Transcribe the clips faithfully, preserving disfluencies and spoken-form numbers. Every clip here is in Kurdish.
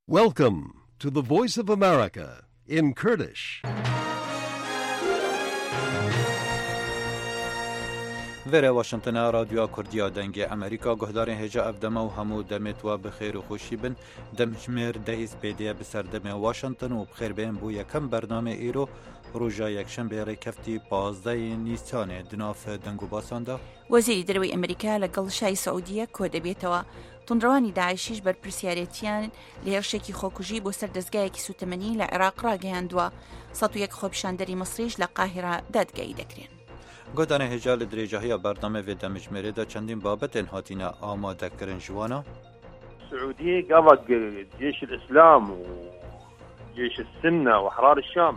Welcome to the Voice of America in Kurdish. Vêre Washington e, Radyoya Kurdiya Dengê Amerîka. Guhdarên hêja, ev dema û hemû demê tu wa bi xêr û xweşî bin. Demjimêr dehî spêdê ye bi ser demê Washington û bi xêr bên bo yekem bernamê îro, roja yekşembê rêkeftî pazdehê Nîsanê. Di nav deng û basan de. وەزیری دەرەوەی ئەمریکا لەگەڵ شای سعودیە کۆدەبێتەوە. توندڕەوانی داعشیش بەرپرسیارێتیان لە هێرشێکی خۆکوژی بۆ سەر دەستگایەکی سوتەمەنی لە عێراق ڕاگەیاندووە. سەد و یەک خۆپیشاندەری مەسریش لە قاهیرە دادگایی دەکرێن. Godanê hêja, li dirêjahiya bernamê vê demjimêrê de çendîn babetên hatine amadekirin, ji wan a. Siûdiyê gava Cêşil Îslam û Cêşil Sinne û Ehrar Şam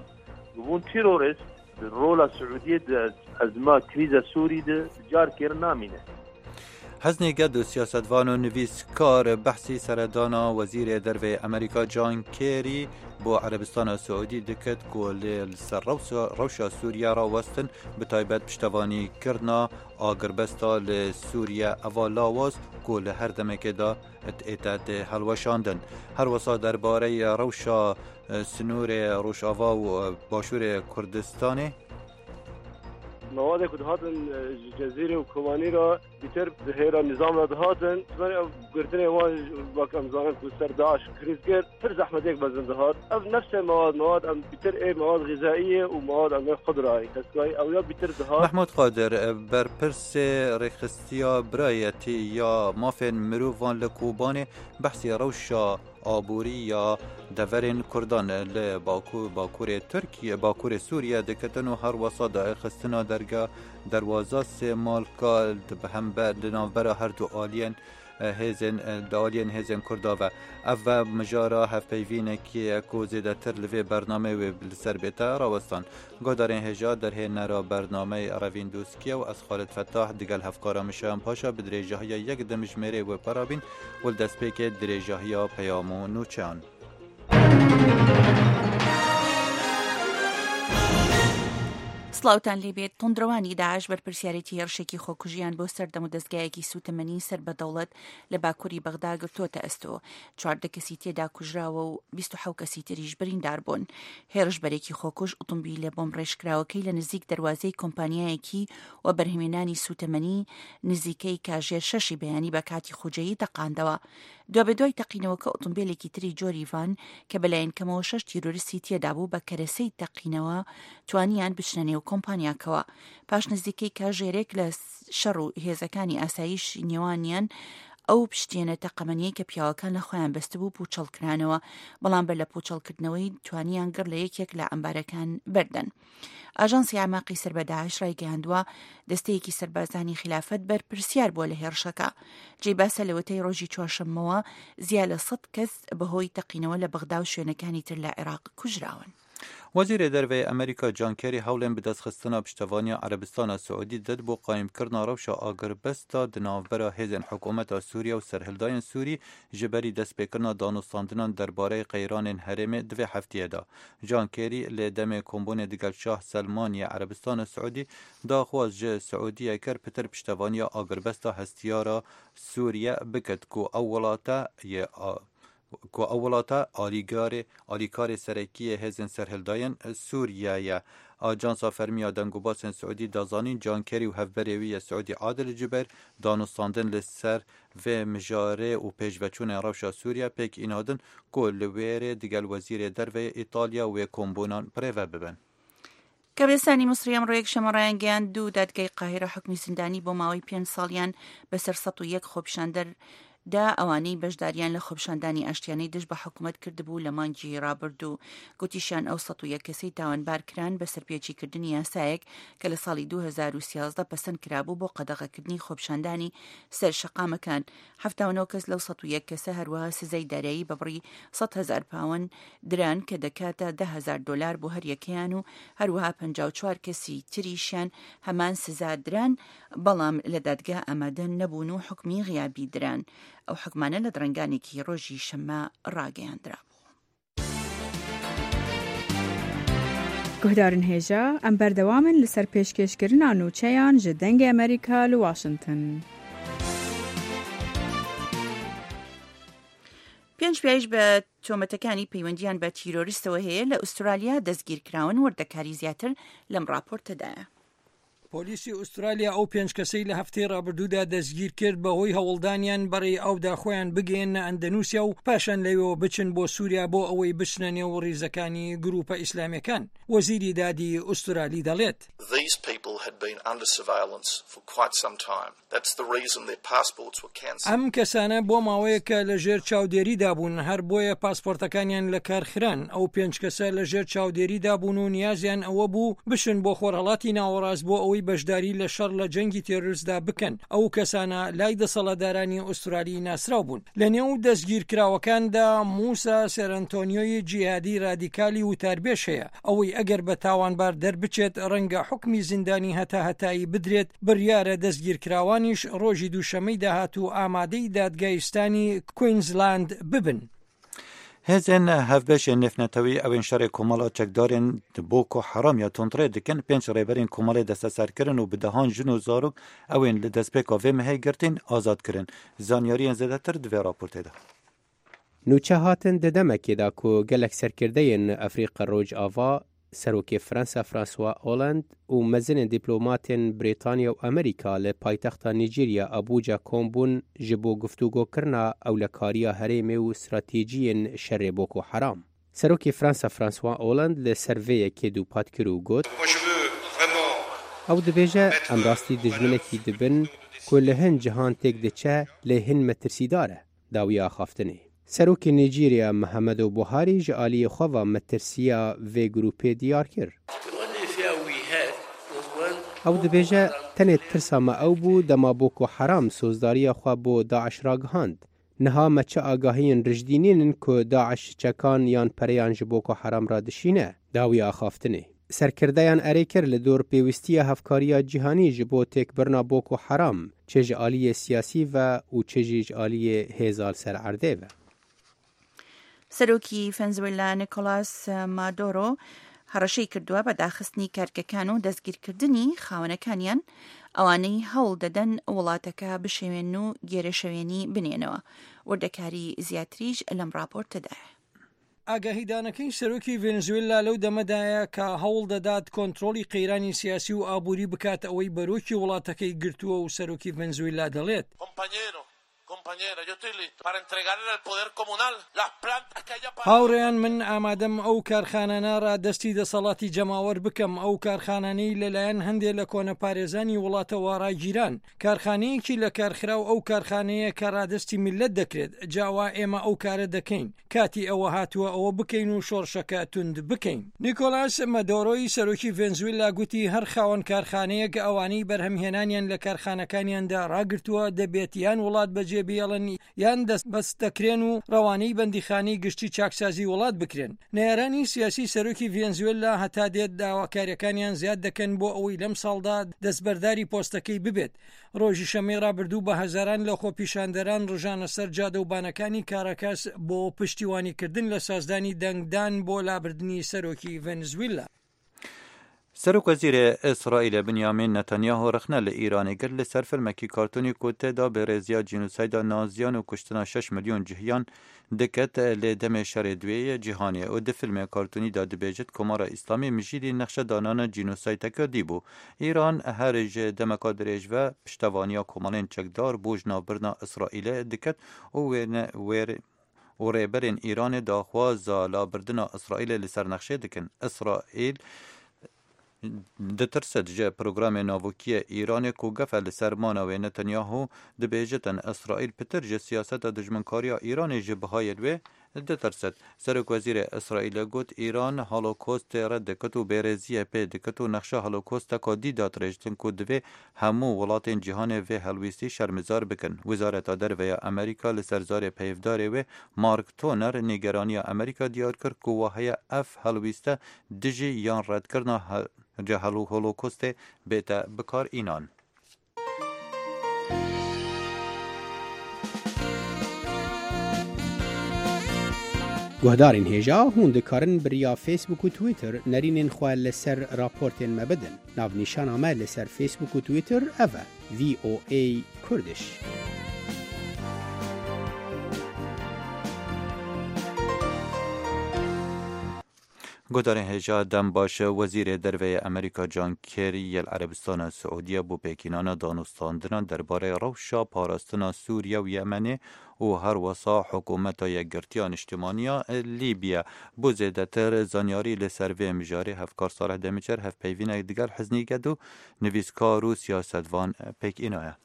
bûn terorist, di rola Siûdiyê di ezma krîza Sûrî de carkê re namîne. Heznê ged û siyasetvan û nivîskar behsî seredana Wezîrê Derve yê Amerîka John Kerry bo Erebistana Siûdî dikit ku lê li ser rewsa-, rewşa Sûriye rawestin, bi taybet piştevanîkirina agirbesta li Sûriye eva lawaz ku li her demekê de ête tê hilweşandin. Her wisa derbareyê rewşa, e, sinûrê Rojava û, e, Başûrê Kurdistanê. Mewadê ku dihatin, e, ji Cezîrê û Kobanî re, bîtir di hêra nîzam re dihatin. Ji ber ev girtinê wan, wek em zanin ku ser DAIŞ krîz kir, pir zehmetêk mezin dihat. Ev nefsê mewad, mewad em bîtir ê mewad xîzaî ye û mewad em ê xudra ye. Kesekî ew ya bîtir dihat. Mehmûd Qadir, e, berpirsê rêxistiya birayetî ya mafên mirovan li Kobanê behsî rewşa aborî ya deverên Kurdan li Baku-, Bakurê Tirkiye, Bakurê Sûriye dikitin û her wesa daxistina derga derwaza sê malka di bi hember, di navbera her du aliyên, e, hêzên, e, di aliyên hêzên Kurda ve. Ev ve mijara hevpeyvînekî ye ku zêdetir li vê bernameyê wê li ser bête rawestan. Guhdarên hêja, derhênera bernameyê Revîn Doskiye û ez Xalid Fetah digel hevkara min Şayan Paşa bi dirêjahiya yek demjimêrê wê parabîn û li destpêkê dirêjahiya peyam û nûçeyan. سڵاوتان لێبێت. توندڕەوانی داعش بەرپرسیارێتی هێرشێکی خۆکوژیان بۆ سەردەم و دەستگایەکی سوتەمەنی سەر بە دەوڵەت لە باکووری بەغدا گرتووەتە ئەستۆ. چواردە کەسی تێدا کوژراوە و بیست و حەوت کەسی تریش بریندار بوون. هێرشبەرێکی خۆکوژ ئوتومبیلە بۆم ڕێژکراوەکەی لە نزیک دەروازەی کۆمپانیایەکی و بەرهەمێنانی سوتەمەنی نزیکەی کاژێر شەشی بەیانی بە کاتی خۆجەیی تەقاندەوە. دوابەدوای تەقینەوەکە ئۆتۆمبیلێکی تری جۆری ڤان کە بەلایەن کەمەوە شەش تیرۆریستی تێدا بوو بە کەرەسەی تەقینەوە توانیان بچنە نێو کۆمپانیاکەوە. پاش نزیکەی کاژێرێک لە شەڕ و هێزەکانی ئاسایش نێوانیان ئەو پشتێنە تەقەمەنیەی کە پیاوەکان لە خۆیان بەستبوو پوچەڵ کرانەوە، بەڵام بەر لە پوچەڵکردنەوەی توانیان گڕ لە یەکێک لە ئەمبارەکان بەردەن. ئاژانسی ئەعماقی سەر بە داعش ڕایگەیاندووە، دەستەیەکی سەربازانی خلافەت بەرپرسیار بووە لە هێرشەکە. جێی باسە، لەوەتەی ڕۆژی چوارشەممەوە زیاد لە سەد کەس بەهۆی تەقینەوە لە بەغدا و شوێنەکانی تر لە عێراق کوژراون. Wezîrê Derve yê Amerîka John Kerry hewlên bidestxistina piştevaniya Erebistana Siûdî did bo qayîmkirina rewşa agirbesta di navbera hêzên hikûmeta Sûriye û serhildayên Sûrî ji berî destpêkirina danûstandinan derbareyê qeyranên herêmê di vê heftiyê de. John Kerry lê demê kombûnê digel Şah Selman yê Erebistana Siûdî daxwaz ji Siûdiye kir pitir piştevaniya agirbesta hestiyara Sûriye bikit ku ew welate yê a-, ku ew welate alîgarê, alîkarê serekî yê hêzên serhildayên Sûriye ye. Ajansa fermî ya dengûbasên Siûdî da zanîn, John Kerry û hevberê wî yê Siûdî Adil Jubeir danûstandin li ser vê mijarê û pêşveçûnên rewşa Sûriye pêk înadin ku li wêrê digel Wezîrê Derve yê Îtalya wê kombûnan birêve bibin. کەبێستانی مصری ئەمڕۆ یەکشەممە ڕایانگەیاند، دوو دادگای قاهیرە حکمی زیندانی بۆ ماوەی پێنج ساڵیان بەسەر سەد و یەک خۆپیشاندەر دا، ئەوانەی بەشداریان لە خۆپیشاندانی ئاشتیانەی دژ بە حکوومەت کردبوو لە مانگی ڕابردوو. گوتیشیان، ئەو سەد و یەک کەسەی تاوانبار کران بە سەرپێچیکردنی یاسایەک کە لە ساڵی دوو هەزار و سیازدە پەسەند کرابوو بۆ قەدەغەکردنی خۆپیشاندانی سەر شەقامەکان. حەفتا و نۆ کەس لەو سەد و یەک کەسە هەروەها سزای دارایی بە بڕی سەد هەزار پاوەند دران کە دەکاتە دە هەزار دۆلار بۆ هەر یەکەیان و هەروەها پەنجا و چوار کەسی تریشیان هەمان سزا دران، بەڵام لە دادگا ئامادە نەبوون و حکمی غیابی دران. ئەو حکمانە لە درەنگانێکی ڕۆژی شەممە ڕاگەیاندرابوو. Guhdarên hêja, em berdewam in li ser pêşkêşkirina nûçeyan ji Dengê Amerîka li Washington. پێنج پیاویش بە تۆمەتەکانی پەیوەندیان بە تیرۆریستەوە هەیە لە ئوسترالیا دەستگیرکراون، وردەکاری زیاتر لەم راپۆرتەدایە. پۆلیسی ئوسترالیا ئەو پێنج کەسەی لە هەفتەی ڕابردوودا دەستگیر کرد بەهۆی هەوڵدانیان بەڕێی ئاودا خۆیان بگەیەنە ئەندەنوسیا و پاشان لەوێەوە بچن بۆ سووریا بۆ ئەوەی بچنە نێو ڕیزەکانی گروپە ئیسلامیەکان. وەزیری دادی ئوسترالی دەڵێت. These people had been under surveillance for quite some time. That's the reason their passports were cancelled. ئەم کەسانە بۆ ماوەیەکە لە ژێر چاودێریدا بوون، هەر بۆیە پاسپۆرتەکانیان لە کار خران. ئەو پێنج کەسە لە ژێر چاودێریدا بوون و نیازیان ئەوە بوو بشن بۆ خۆرهەڵاتی ناوەڕاست بۆ ئەوەی بەشداری لە شەڕ لە جەنگی تێرۆریستدا بکەن. ئەو کەسانە لای دەسەڵاتدارانی ئوسترالی ناسراو بوون. لە نێو دەستگیرکراوەکاندا موسا سێرەنتۆنیۆی جیهادی رادیکالی وتاربێژ هەیە. ئەوەی ئەگەر بە تاوانبار دەربچێت، ڕەنگە حکمی زیندانی هەتا هەتایی بدرێت. بڕیارە دەستگیرکراوانیش ڕۆژی دووشەمەی داهاتوو ئامادەی دادگای ئیستانی کوینزلاند ببن. Hêzên hevbeşên nêvnetewî ew ên şerê komala çekdarên Boko Haram ya tundrê dikin, pênc rêberên komalê desteser kirin û bi dehan jin û zarok ew ên li destpêka vê mehê girtîn azad kirin. Zanyariyên zêdetir di vê raportê de. Nûçe hatin di demekê de ku gelek serkirdeyên Efrîqa Rojava, Serokê Fransa François Hollande û mezinên dîplomatên Brîtanya û Amerîka li paytexta Nîjerya Abuja kom bûn ji bo guftûgokirina ewlekariya herêmê û stratejiyên şerê Boko Haram. Serokê Fransa François Hollande li ser vê yekê dûpat kir û got, Ew dibêje, em rastî dijminekî dibin ku li hin cihan têk diçe, lê hin metirsîdar e. Dawiya axaftinê. Serokê Nîjerya Muhammedu Buharî ji aliyê xwe ve metirsiya vê grûpê diyar kir. Ew dibêje, tenê tirsa me ew bû dema Boko Haram sozdariya xwe bo DAIŞ ragihand. Niha me çi agahiyên rijdî nînin ku DAIŞ çekan yan pereyan ji Boko Haram re dişîne. Dawiya axaftinê. Serkirdeyan erê kir li dor pêwîstiya hevkariya cîhanî ji bo têkbirina Boko Haram, çi ji aliyê siyasî ve û çi jî ji aliyê hêza li ser erdê ve. سەرۆکی ڤەنزوێلا نیکۆلاس مادۆرۆ هەڕەشەی کردووە بە داخستنی کارگەکان و دەستگیرکردنی خاوەنەکانیان، ئەوانەی هەوڵ دەدەن وڵاتەکە بشێوێن و گێرەشەوێنی بنێنەوە. وردەکاری زیاتریش لەم راپۆرتەدایە. ئاگاهیدانەکەی سەرۆکی ڤێنزوێلا لەو دەمەدایە کە هەوڵ دەدات کۆنترۆلی قەیرانی سیاسی و ئابووری بکات، ئەوەی بەرۆکی وڵاتەکەی گرتووە و سەرۆکی ڤێنزوێلا دەڵێت. Compañero, compañera, yo estoy listo para entregarle al poder comunal las plantas que haya pagado. هاوڕێیان، من ئامادەم ئەو کارخانانە ڕادەستی دەسەڵاتی جەماوەر بکەم، ئەو کارخانانەی لەلایەن هەندێک لە کۆنەپارێزانی وڵاتەوە ڕاگیران. کارخانەیەکی لە کارخراو ئەو کارخانەیە کە ڕادەستی میللەت دەکرێت، جاوا ئێمە ئەو کارە دەکەین. کاتی ئەوە هاتووە ئەوە بکەین و شۆڕشەکە توند بکەین. نیکۆلاس مەدۆرۆی سەرۆکی ڤێنزوێلا گوتی، هەر خاوەن کارخانەیەک ئەوانەی بەرهەمهێنانیان لە کارخانەکانیاندا ڕاگرتووە دەبێت یان وڵات بەجێ بێڵن یان دەستبەست دەکرێن و ڕەوانەی بەندیخانەی گشتی چاکسازی وڵات بکرێن. نەیارانی سیاسی سەرۆکی ڤێنزوێلا هەتا دێت داواکاریەکانیان زیاد دەکەن بۆ ئەوەی لەم ساڵدا دەستبەرداری پۆستەکەی ببێت. ڕۆژی شەمەی ڕابردوو بە هەزاران لە خۆپیشاندەران ڕژانە سەر جادە و بانەکانی کاراکاس بۆ پشتیوانیکردن لە سازدانی دەنگدان بۆ لابردنی سەرۆکی ڤێنزویلا. Serokwezîrê Îsraîlê Binyamin Netanyahu rexne li Îranê girt li ser filmekî kartonî ku tê de bêrêziya cînosayda naziyan û kuştina şeş milyon cihiyan diket lê demê şerê duyê yê cîhanê û di filmê kartonî de dibêjit Komara Îslamî mijîlî nexşedanana cînosaydeke dî bû. Îran her ji demeka dirêj ve piştevaniya komalên çekdar bo ji navbirina Îsraîlê diket û wêne-, wêr-, û rêberên Îranê daxwaza labirdina Îsraîlê li ser nexşê dikin. Îsraîl ditirsit ji programê navokî yê Îranê ku gefe li ser mana wê. Netanyahu dibêjitin, Îsraîl pitir ji siyaseta dijminkariya Îranê ji bihayên wê ditirsit. Serokwezîrê Îsraîlê got, Îran holokostê red dikit û bêrêziyê pê dikit û nexşa holokosteka dî dadirêjtin ku divê hemû welatên cîhanê vê helwîstî şermizar bikin. Wizareta Derve ya Amerîka li ser zarê peyvdarê wê Mark Toner nîgeraniya Amerîka diyar kir ku wa heye ev helwîste dijî yan redkirina he-, holo-, holokostê bête bikar înan. Guhdarên hêja, hûn dikarin bi riya Facebook û Twitter nerînên xwe li ser raportên me bidin. Navnîşana me li ser Facebook û Twitter ev e, V O A Kurdish. Guhdarên hêja dem baş, Wezîrê Derve yê Amerîka John Kerry yê li Erebistana Siûdiye bo pêkînana danûstandina derbarê rewşa parastina Sûriye û Yemenê û her wesa Hikûmeta Yekgirtiya Niştimaniya Lîbiye. Bo zêdetir zanyarî li ser vê mijarê hevkar Salih Demicer hevpeyvînek digel Hiznî Gedo, nivîskar û siyasetvan pêk înaye.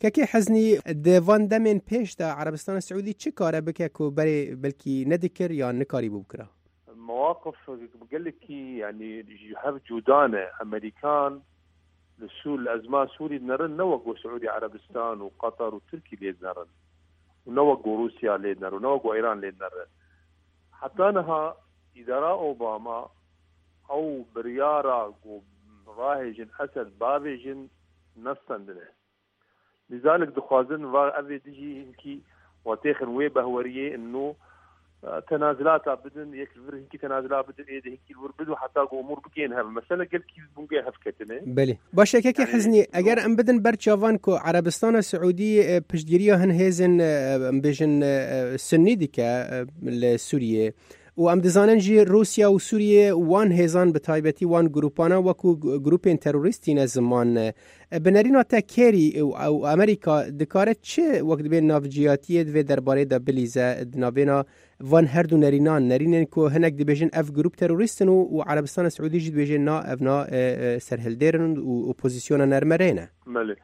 Kekê Heznî, di van demên pêş de Erebistana Siûdî çi kare bike ku berê belkî nedikir yan nikarîbû bikira? Mewaqif gelekî, yanî, ji hev cuda ne. Amerîkan li Sûr, li ezma Sûrî dinerin, ne wek ku Siûdî Erebistan û Qatar û Tirkî lê dinerin. Û ne wek ku Rûsya lê dinerin, û ne wek ku Îran lê dinerin. Heta niha îdara Obama ew biryara ku rahêjin Esed bavêjin nestendine. Lizalik dixwazin va ev ê dijî hinkî wa têxin wê behweriyê, ino, e, tenazilata bidin, yek li vir hinkî tenazila bidin, ê de hinkî li wir bidin, heta ku umûr bigên hev. Mesele gelkî bûngê hev ketine. Belê. Baş e, kekê Yanî, Hiznî, eger em bidin ber çavan ku Erebistana Siûdî, e, piştgiriya hin hêzên, e, em bêjin, e, e, Sunnî dike, e, li Sûriyê, û em dizanin jî Rûsya û Sûriye wan hêzan, bi taybetî wan grûpana wekû g-, grûpên terorîst tîne ziman. E, bi nerîna te Kerî û, û Amerîka dikare çi wek dibê navciyatiyê di vê derbarê de bilîze di navbêna van her du nerînan, nerînên ku hinek dibêjin ev grûp terorîst in û, û Erebistana Siûdî jî dibêje na, ev na, e, e, serhildêr in û opozisyona nermerê ne? Belê.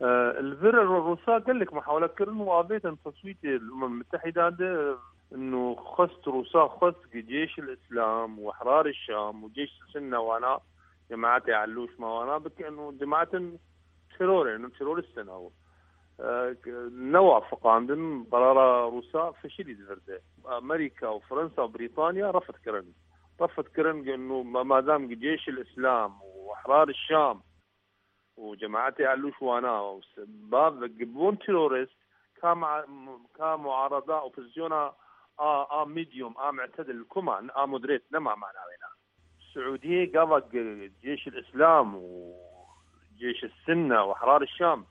E, li vir Rûsa gelek muhawele kirin û avêtin teswîtê li Umem Mitehîda de, ino xwest, Rûsa xwest ki Cêş el Îslam û Ehrar el Şam û Cêş Sinne wana, Cemaetê Elûş ma wana bikin û cemaetin terorê, terorîst in ew. E, newa fiqandin, qerara Rûsa fişilî di vir de. Amerîka û Fransa û Brîtanya refd kirin. Refd kirin, ino ma-, madam ki Cêş el Îslam û Ehrar el Şam û Cemaetê Elûş wana û se-, bav bûn terorîst, ka ma-, ka muarada, opozisyona a, a medium, a mu'tedil, kuma, a moderate, nema mana wêna. Siûdiyê gava ge-, Cêş el Îslam û Cêş el Sinne û Ehrar el Şam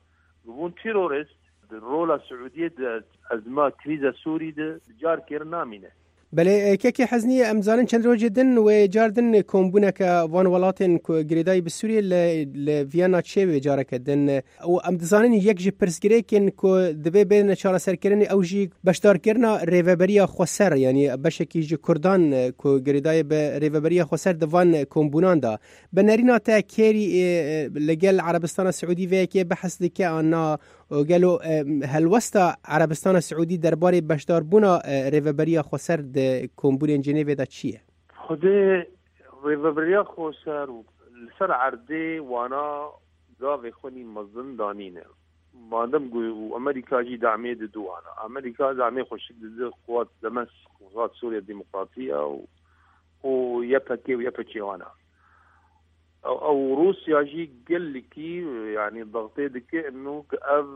bûn terorîst, di rola Siûdiyê di ezma krîza Sûrî de bi car kêr namîne. Belê, e, kekê Heznî, em zanin çend rojê din wê car din kombûneke van welatên ku girêdayî bi Sûriyê li, li Viyana çê wê careke din. Û em dizanin yek ji pirsgirêkên ku divê bêne çareserkirinê ew jî beşdarkirina Rêveberiya Xweser, yanî beşekî ji Kurdan, e, ku girêdayî bi Rêveberiya Xweser di van kombûnan de. Bi nerîna te Kerî, e, e, li gel Erebistana Siûdî vê yekê behs dike an na? Û gelo, e, helwesta Erebistana Siûdî derbarê beşdarbûna, e, Rêveberiya Xweser di kombûnên Cinêvê de çi ye? Xwedê Rêveberiya Xweser û li ser erdê wana gavê xwe nî mezin danîne. Madem ku û Amerîka jî damê dide wana. Amerîka damê xwe şik dide quwat Demesk, quwat Sûriya Demokratî ya û, û Y P G û Y P G wana. Ew, ew Rûsya jî gelekî, yanî, dextê dike ino ki ev,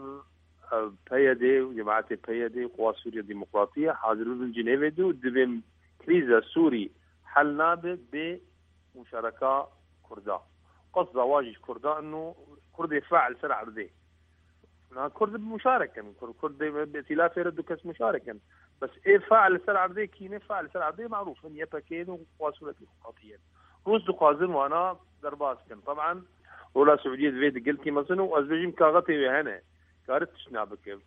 ev P Y D û cemaetê P Y D, Quwat Sûriya Demokratî ye, hazir bibin Cinêvê de û dibên krîza Sûrî hel nabe bê muşareka Kurda. Qesda wa jî ji Kurda ino Kurdê fe'l ser erdê. Na Kurd bi muşarek in. Kur-, Kurd dê bi îtîlafê re du kes muşarek in. Bes ê fe'l li ser erdê kî ne, fe'l li ser erdê marûf in, Y P G in û Quwat Sûriya Demokratî ye. Rûs dixwazin wana derbas kin. Taban, rola Siûdiyê divê di gelkî mezin û ez bêjim kaxetê wê hene. Kare tiştna bikin.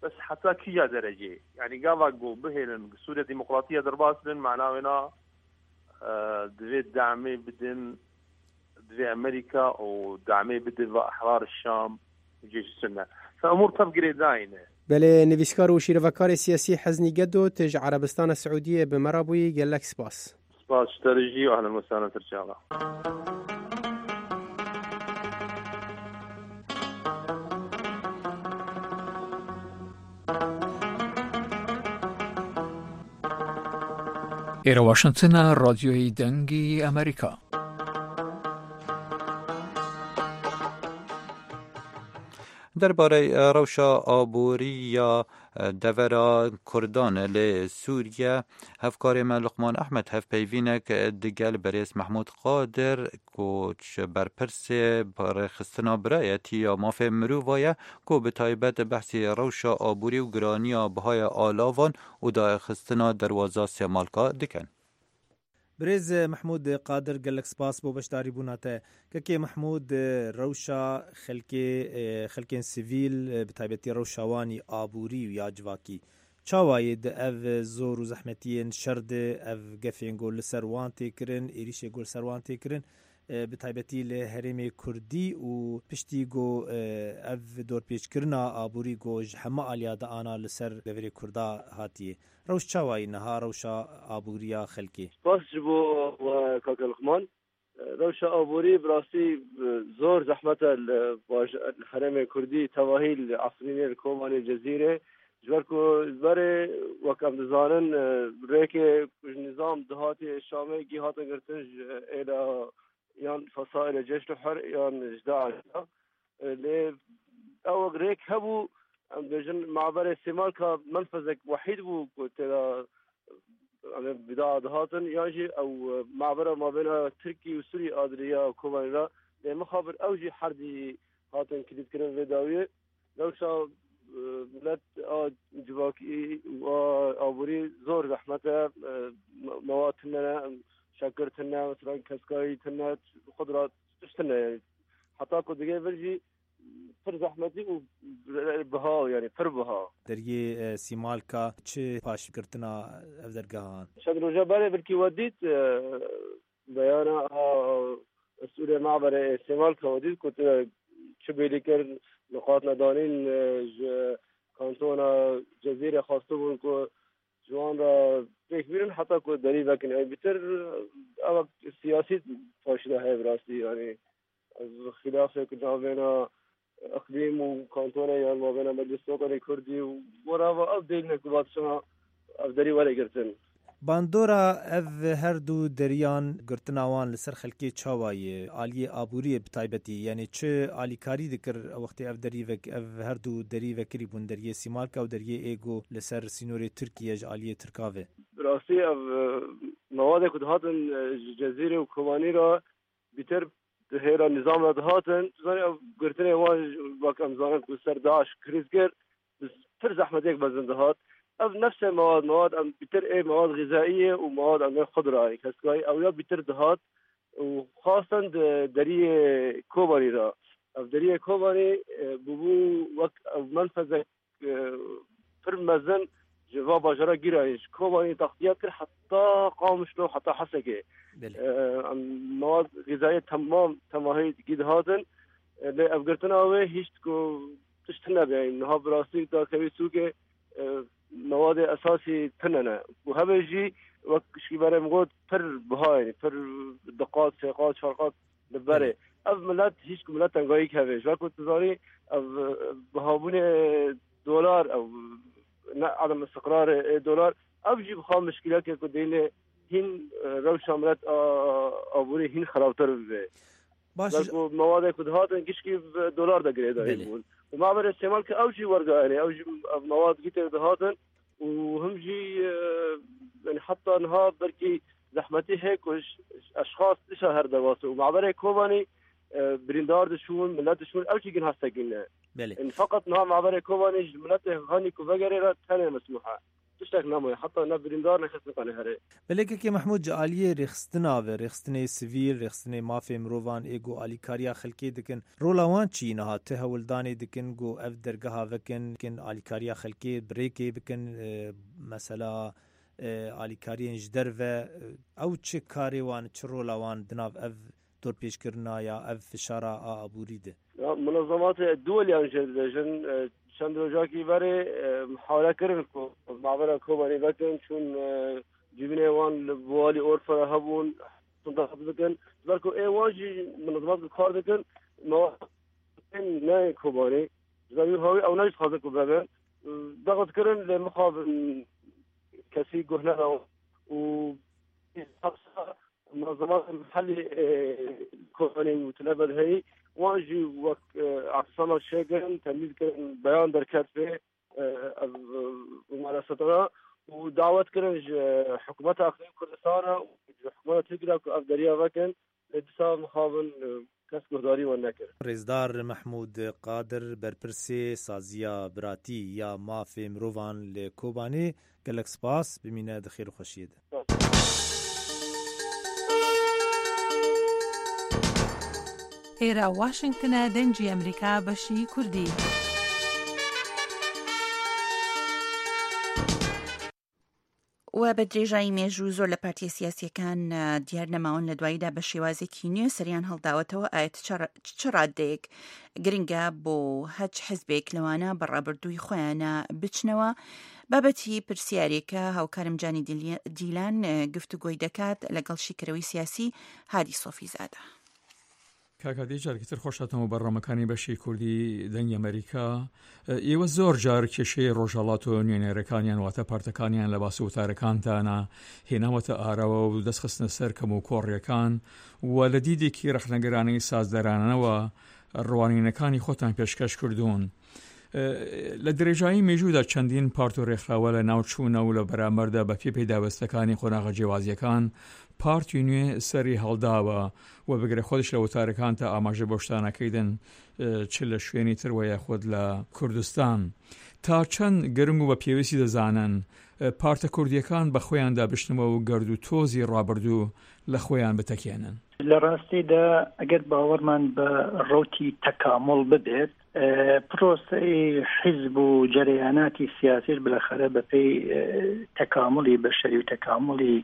Bes heta kîja derecê? Yanî gava ku bihêlin Sûriya Demokratî ya derbas bin, mana wê na, e, divê damê bidin, divê Amerîka û damê bide ve Ehrar Şam û Cêş Sunne. Fe umûr tev girêdayî ne. Belê, nivîskar û şîrevekarê siyasî Heznî Gedo, tu ji Erebistana Siûdiyê bi me re bûyî, gelek spas. Spas ji te re jî û ehlen we sahlen ser çava. Êre Washington e, Radyoyê Dengî Amerîka. Derbarê, e, rewşa aborî ya, e, devera Kurdan li Sûriye, hevkarê me Luqman Ehmed hevpeyvînek digel berêz Mehmûd Qadir, ku ji berpirsê rêxistina birayetî ya mafê mirova ye, ku bi taybet behsî rewşa aborî û giraniya bihaya alavan û daxistina derwaza Sêmalka dikin. Birêz Mehmûd Qadir, gelek spas bo beşdarîbûna te. Kekê Mehmûd, rewşa xelkê, e, xelkên sivîl, e, bi taybetî rewşa wan î aborî û ya civakî, çawa ye di ev zor û zehmetiyên şer de, ev gefên ku li ser wan tê kirin, êrîşê ku li ser wan tê kirin, e, bi taybetî li herêmê Kurdî û piştî ku, e, ev dorpêçkirina aborî ku ji heme aliya de ana li ser deverê Kurda hatiye? Rewş çawa ye niha, rewşa aboriya xelkê? Spas ji bo we, kaka Luqman. Rewşa aborî bi rastî, e, zor zehmet e li baj-, li herêmê Kurdî, tevahî li Efrînê, li Kobanê, Cezîrê. Ji ber ku berê, wek em dizanin, e, rêkê ku ji nîzam dihatê Şamê gî hatin girtin ji êla yan fesaîlê Ceyş Hur yan ji DAIŞ de. E, lê ew rêk hebû, em dibêjin, maberê Sêmalka menfezek wehîd bû ku tê de, em ê bida dihatin, yan jî ew, e, mabera mabêna Tirkî û Sûrî a di riya Kobanê re, lê mixabin ew jî herdî hatin kilîtkirin vê dawiyê. Rewşa, e, milet a civakî û a aborî zor zehmet e, e, me-, mewad tune ne, şekir tune, mesela keskayî tune, xudra tişt tune. Heta ku digê vir jî pir zehmetî û biha, yani pir biha. Deriyê, e, Sîmalka çi paşgirtina ev dergehan? Çend roja berê belkî we dît, e, beyana a Sûrê Maberê Sêmalka we dît ku tu çi bêlî kir, nuqat nedanîn, e, ji kantona Cezîrê xwestibûn ku ji wan re pêk bînin heta ku derî vekin. Ew bîtir, ew siyasî paşîna heye bi rastî, yani. Ez xilafek navêna iqlîm û kantone yan navêna Meclis Kobanê Kurdî û werava ev dêline ku va dişa ev derî were girtin. Bandora ev her du deriyan, girtina wan li ser xelkê çawa ye? Aliyê aboriyê bi taybetî, yani çi alîkarî dikir wextê ev derî vek-, ev her du derî vekirî bûn, deriyê Sîmalka û deriyê ê ku li ser sînorê Tirkiye ji aliyê Tirka ve? Bi rastî ev, e, mewadê ku dihatin, e, ji Cezîrê û Kobanî re bîtir di hêla nîzam re dihatin. Tu zanî, ev girtinê wan, wek em zanin ku ser DAIŞ krîz kir, bi pir zehmetiyek mezin dihat. Ev nefsê mewad, mewad em bîtir ê mewad xîzaî ye û mewad em ê xudra ye, keskayî ew ya bîtir dihat û xastan di deriyê Kobanî re. Ev deriyê Kobanî, e, bûbû wek ev menfezek e, pir mezin ji va bajara girayî, ji Kobanî taxtiyat kir heta Qamişlo, heta Hesekê. Belê. E, em mewad xîzayê temam temahî gî dihatin. E, lê ev girtina wê hîşt ku tişt tune be. Niha bi rastî dakevî sûkê, e, mewadê esasî tune ne. Ku hebe jî wek şîverê min got pir biha, yani pir diqat, sêqat, çarqat li berê. Belê. Ev milet hîç ku milet tengayî keve. Ji ber ku tu zanî ev, e, bihabûnê dolar, ew ne adam istiqrarê ê dolar, ev jî bixa mişkileke ku dêne hîn, e, rewşa milet a, aborî hîn xerabtir bibe. Baş. Ji ber ku mewadê ku dihatin gişkî bi dolar de girêdayî Belê. bûn. Û maberê Sêmalka ew jî wergayane, ew jî ev mewad gî tê dihatin. û him jî, e, yani heta niha belkî zehmetî heye ku ş-, ş-, eşxas dişa her derbas û maberê Kobanî, e, birîndar dişûn, milet dişûn, ew jî gin hestekî ne. Belê. Yani feqet niha maberê Kobanî ji miletê hanî ku vegerê re tenê mesmûh e. Tiştek nemaye, heta ne birîndar ne kes nikane here. Belê kekê Mehmûd, ji aliyê rêxistina ve, rêxistinê sivîl, rêxistinê mafê mirovan ê ku alîkariya xelkê dikin, rola wan çi ye niha? Ti hewldanê dikin ku ev dergeha vekin, kin alîkariya xelkê bi rêkê bikin, e, mesela, e, alîkariyên ji derve, e, ew çi karê wan, çi rola wan di nav ev dorpêçkirina ya ev fişara a aborî de? Ya, munazematê duweliyan jê dibêjin, e, çend rojakî berê, e, muhawele kirin ku mabera Kobanî vekin, çûn, e, civînê wan li Biwalî Orfera hebûn, tunda bikin. Ji ber ku ê wan jî munazemat ku kar dikin, mewad ne Kobanî. Ji ber wî hawî ew ne jî dixwazin ku bebe. Daxit kirin lê mixabin kesî guh neda û hepsa munazemat mihellî, e, Kobanî û Tilebel heyî, wan jî wek, e, Abdulsamed çêkirin, temîz kirin, beyan derket pê, e, ev, e, mumaresata û dawet kirin ji hikûmeta Herêma Kurdistana û ji hikûmeta Tirkî re ku ev deriya vekin, lê dîsa mixabin, e, kes guhdarî wan nekir. Rêzdar Mehmûd Qadir, berpirsê Saziya Biratî ya Mafê Mirovan li Kobanê, gelek spas, bimîne di xêr û xweşiyê de. ئێرە واشنگتنە، دەنگی ئەمریکا، بەشی کوردی. و بە درێژایی مێژوو زۆر لە پارتیە سیاسیەکان، ئە، دیار نەماون لە دواییدا بە شێوازێکی نوێ سەریان هەڵداوەتەوە. ئایا چ ڕ-، چ ڕادەیەک گرنگە بۆ هەچ حزبێک لەوانە بە ڕابردووی خۆیانە بچنەوە؟ بابەتی پرسیارێکە هاوکارم جانی دیلی-، دیلان، ئە، گفتوگۆی دەکات لەگەڵ شیکەرەوەی سیاسی هادی سۆفیزادە. کاکە، دیجار کتر خۆش هاتەوە بەڕامەکانی بەشی کوردی دەنگی ئەمریکا. ئێوە زۆر جار کێشەی ڕۆژهەڵات و نوێنەرەکانیان، واتە پارتەکانیان لە باس و وتارەکانتانە هێناوەتە ئاراوە و دەستخستنە سەر کەم و کۆڕیەکان و لە دیدێکی ڕەخنەگرانەی سازدەرانەوە ڕوانینەکانی خۆتان پێشکەش کردوون. لە درێژایی مێژوودا چەندین پارت و ڕێکخراوە لە ناو چوونە و لە بەرامبەردا بە پێ پێداوەستەکانی قۆناغە جیاوازیەکان پارتی نوێ سەری هەڵداوە و بگرە خۆش لە وتارەکان تا ئاماژە بۆ شتانەکەیدن، ئە، چ لە شوێنی تر وە یاخود لە کوردستان. تا چەند گرنگ و بە پێویستی دەزانن، ئە، پارتە کوردیەکان بە خۆیاندا بشنەوە و گەرد و تۆزی ڕابردوو لە خۆیان بتەکێنن؟ لە ڕاستیدا، ئەگەر باوەڕمان بە ڕەوتی تەکامڵ ببێت، ئە، پرۆسەی حیزب و جەرەیاناتی سیاسی بالاخەرە بە پێی، ئە، تەکامڵی بەشەری و تەکامڵی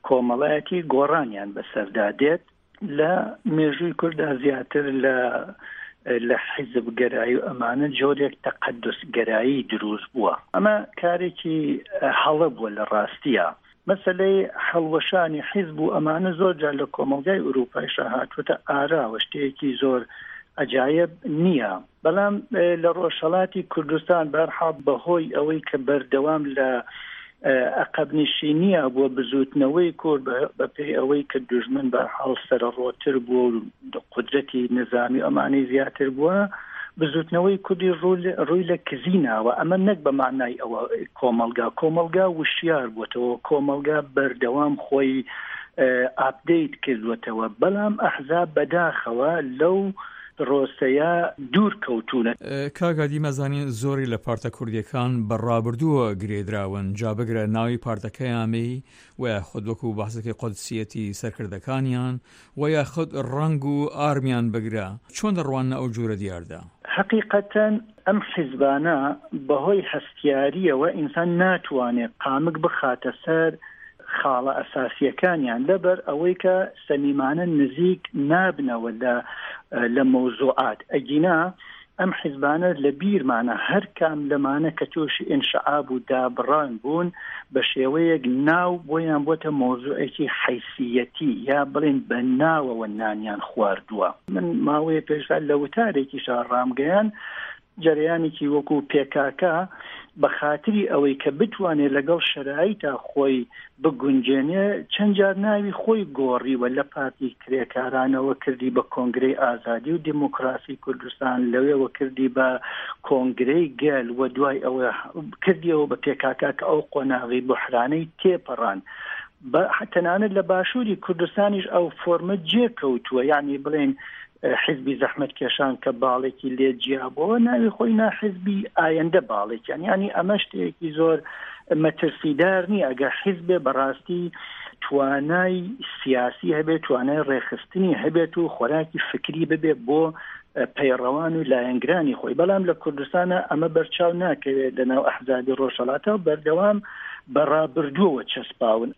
کۆمەڵایەتی گۆڕانیان بەسەردا دێت. لە مێژووی کووردا زیاتر لە، لە حیزب گەرایی و ئەمانە جۆرێک تەقەدس گەرایی دروست بووە. ئەمە کارێکی، ئە، هەڵە بووە لە ڕاستیە. مەسەلەی هەڵوەشانی حیزب و ئەمانە زۆر جار لە کۆمەڵگای ئوروپایشا هاتووەتە ئاراوە، شتێکی زۆر عەجایب نییە. بەڵام، ئێ، لە ڕۆژهەڵاتی کوردستان، بەرحاڵ بەهۆی ئەوەی کە بەردەوام لە، ئێ، عەقەبنشینیە بووە بزوتنەوەی کورد، بە، بە پێی ئەوەی کە دوژمن بەرحاڵ سەرەڕۆتر بووە و قودرەتی نظامی ئەمانەی زیاتر بووە، بزوتنەوەی کوردی ڕووی لە، ڕووی لە کزی ناوە. ئەمە نەک بە مانای ئەوە کۆمەڵگا، کۆمەڵگا وشیار بووەتەوە، کۆمەڵگا بەردەوام خۆی، ئێ، ئاپدەیت کردووەتەوە. بەڵام ئەحزاب بەداخەوە لەو پرۆسەیە دوور کەوتوونە. ئێ، کاک هادی، مەزانین زۆری لە پارتە کوردیەکان بە ڕابردووە گرێدراون، جا بگرە ناوی پارتەکەیامی و یاخود وەکو بەحسەکەی قودسیەتی سەرکردەکانیان و یاخود ڕەنگ و ئارمیان بگرە. چۆن دەڕواننە ئەو جوورە دیاردا؟ حەقیقەتەن ئەم حیزبانە بەهۆی هەستیاریەوە ئینسان ناتوانێت قامک بخاتە سەر خاڵە ئەساسیەکانیان، لەبەر ئەوەی کە سەمیمانە نزیک نابنەوە لە، لە مەوزوعات. ئەگینا ئەم حیزبانە لە بیرمانە، هەر کام لەمانە کە تووشی ئینشعاب و دابڕان بوون، بە شێوەیەک ناو بۆیان بۆتە مۆزوعێکی حیسیەتی، یا بڵێن بە ناوەوە نانیان خواردووە. من ماوەیە پێشدا لە وتارێکیشا ڕامگەیان، جەریانێکی وەکو پێکاکە بە خاتری ئەوەی کە بتوانێت لەگەڵ شەرایتا خۆی بگونجێنێ، چەند جار ناوی خۆی گۆڕیوە، لە پارتی کرێکارانەوە کردی بە کۆنگرەی ئازادی و دیموکراسی کوردستان، لەوێوە کردی بە کۆنگرەی گەل و دوای ئەوە کردیەوە بە پێکاکە کە ئەو قۆناغی بحرانەی تێپەڕان. بە، تەنانەت لە باشووری کوردستانیش ئەو فۆرمە جێ کەوتووە، یعنی بڵێن، ئە، حیزبی زەحمەتکێشان کە باڵێکی لێ جیا بووە، ناوی خۆی نا حیزبی ئایندە باڵێکیان. یعنی ئەمە شتێکی زۆر مەترسیدار نییە. ئەگەر حیزبێ بەڕاستی توانای سیاسی هەبێت، توانای ڕێخستنی هەبێت و خۆراکی فکری ببێت بۆ، ئە، پەیڕەوان و لایەنگرانی خۆی. بەڵام لە کوردستانە ئەمە بەرچاو ناکەوێت لە ناو ئەحزابی ڕۆژهەڵاتە و بەردەوام بە ڕابردووەوە چەسپاون.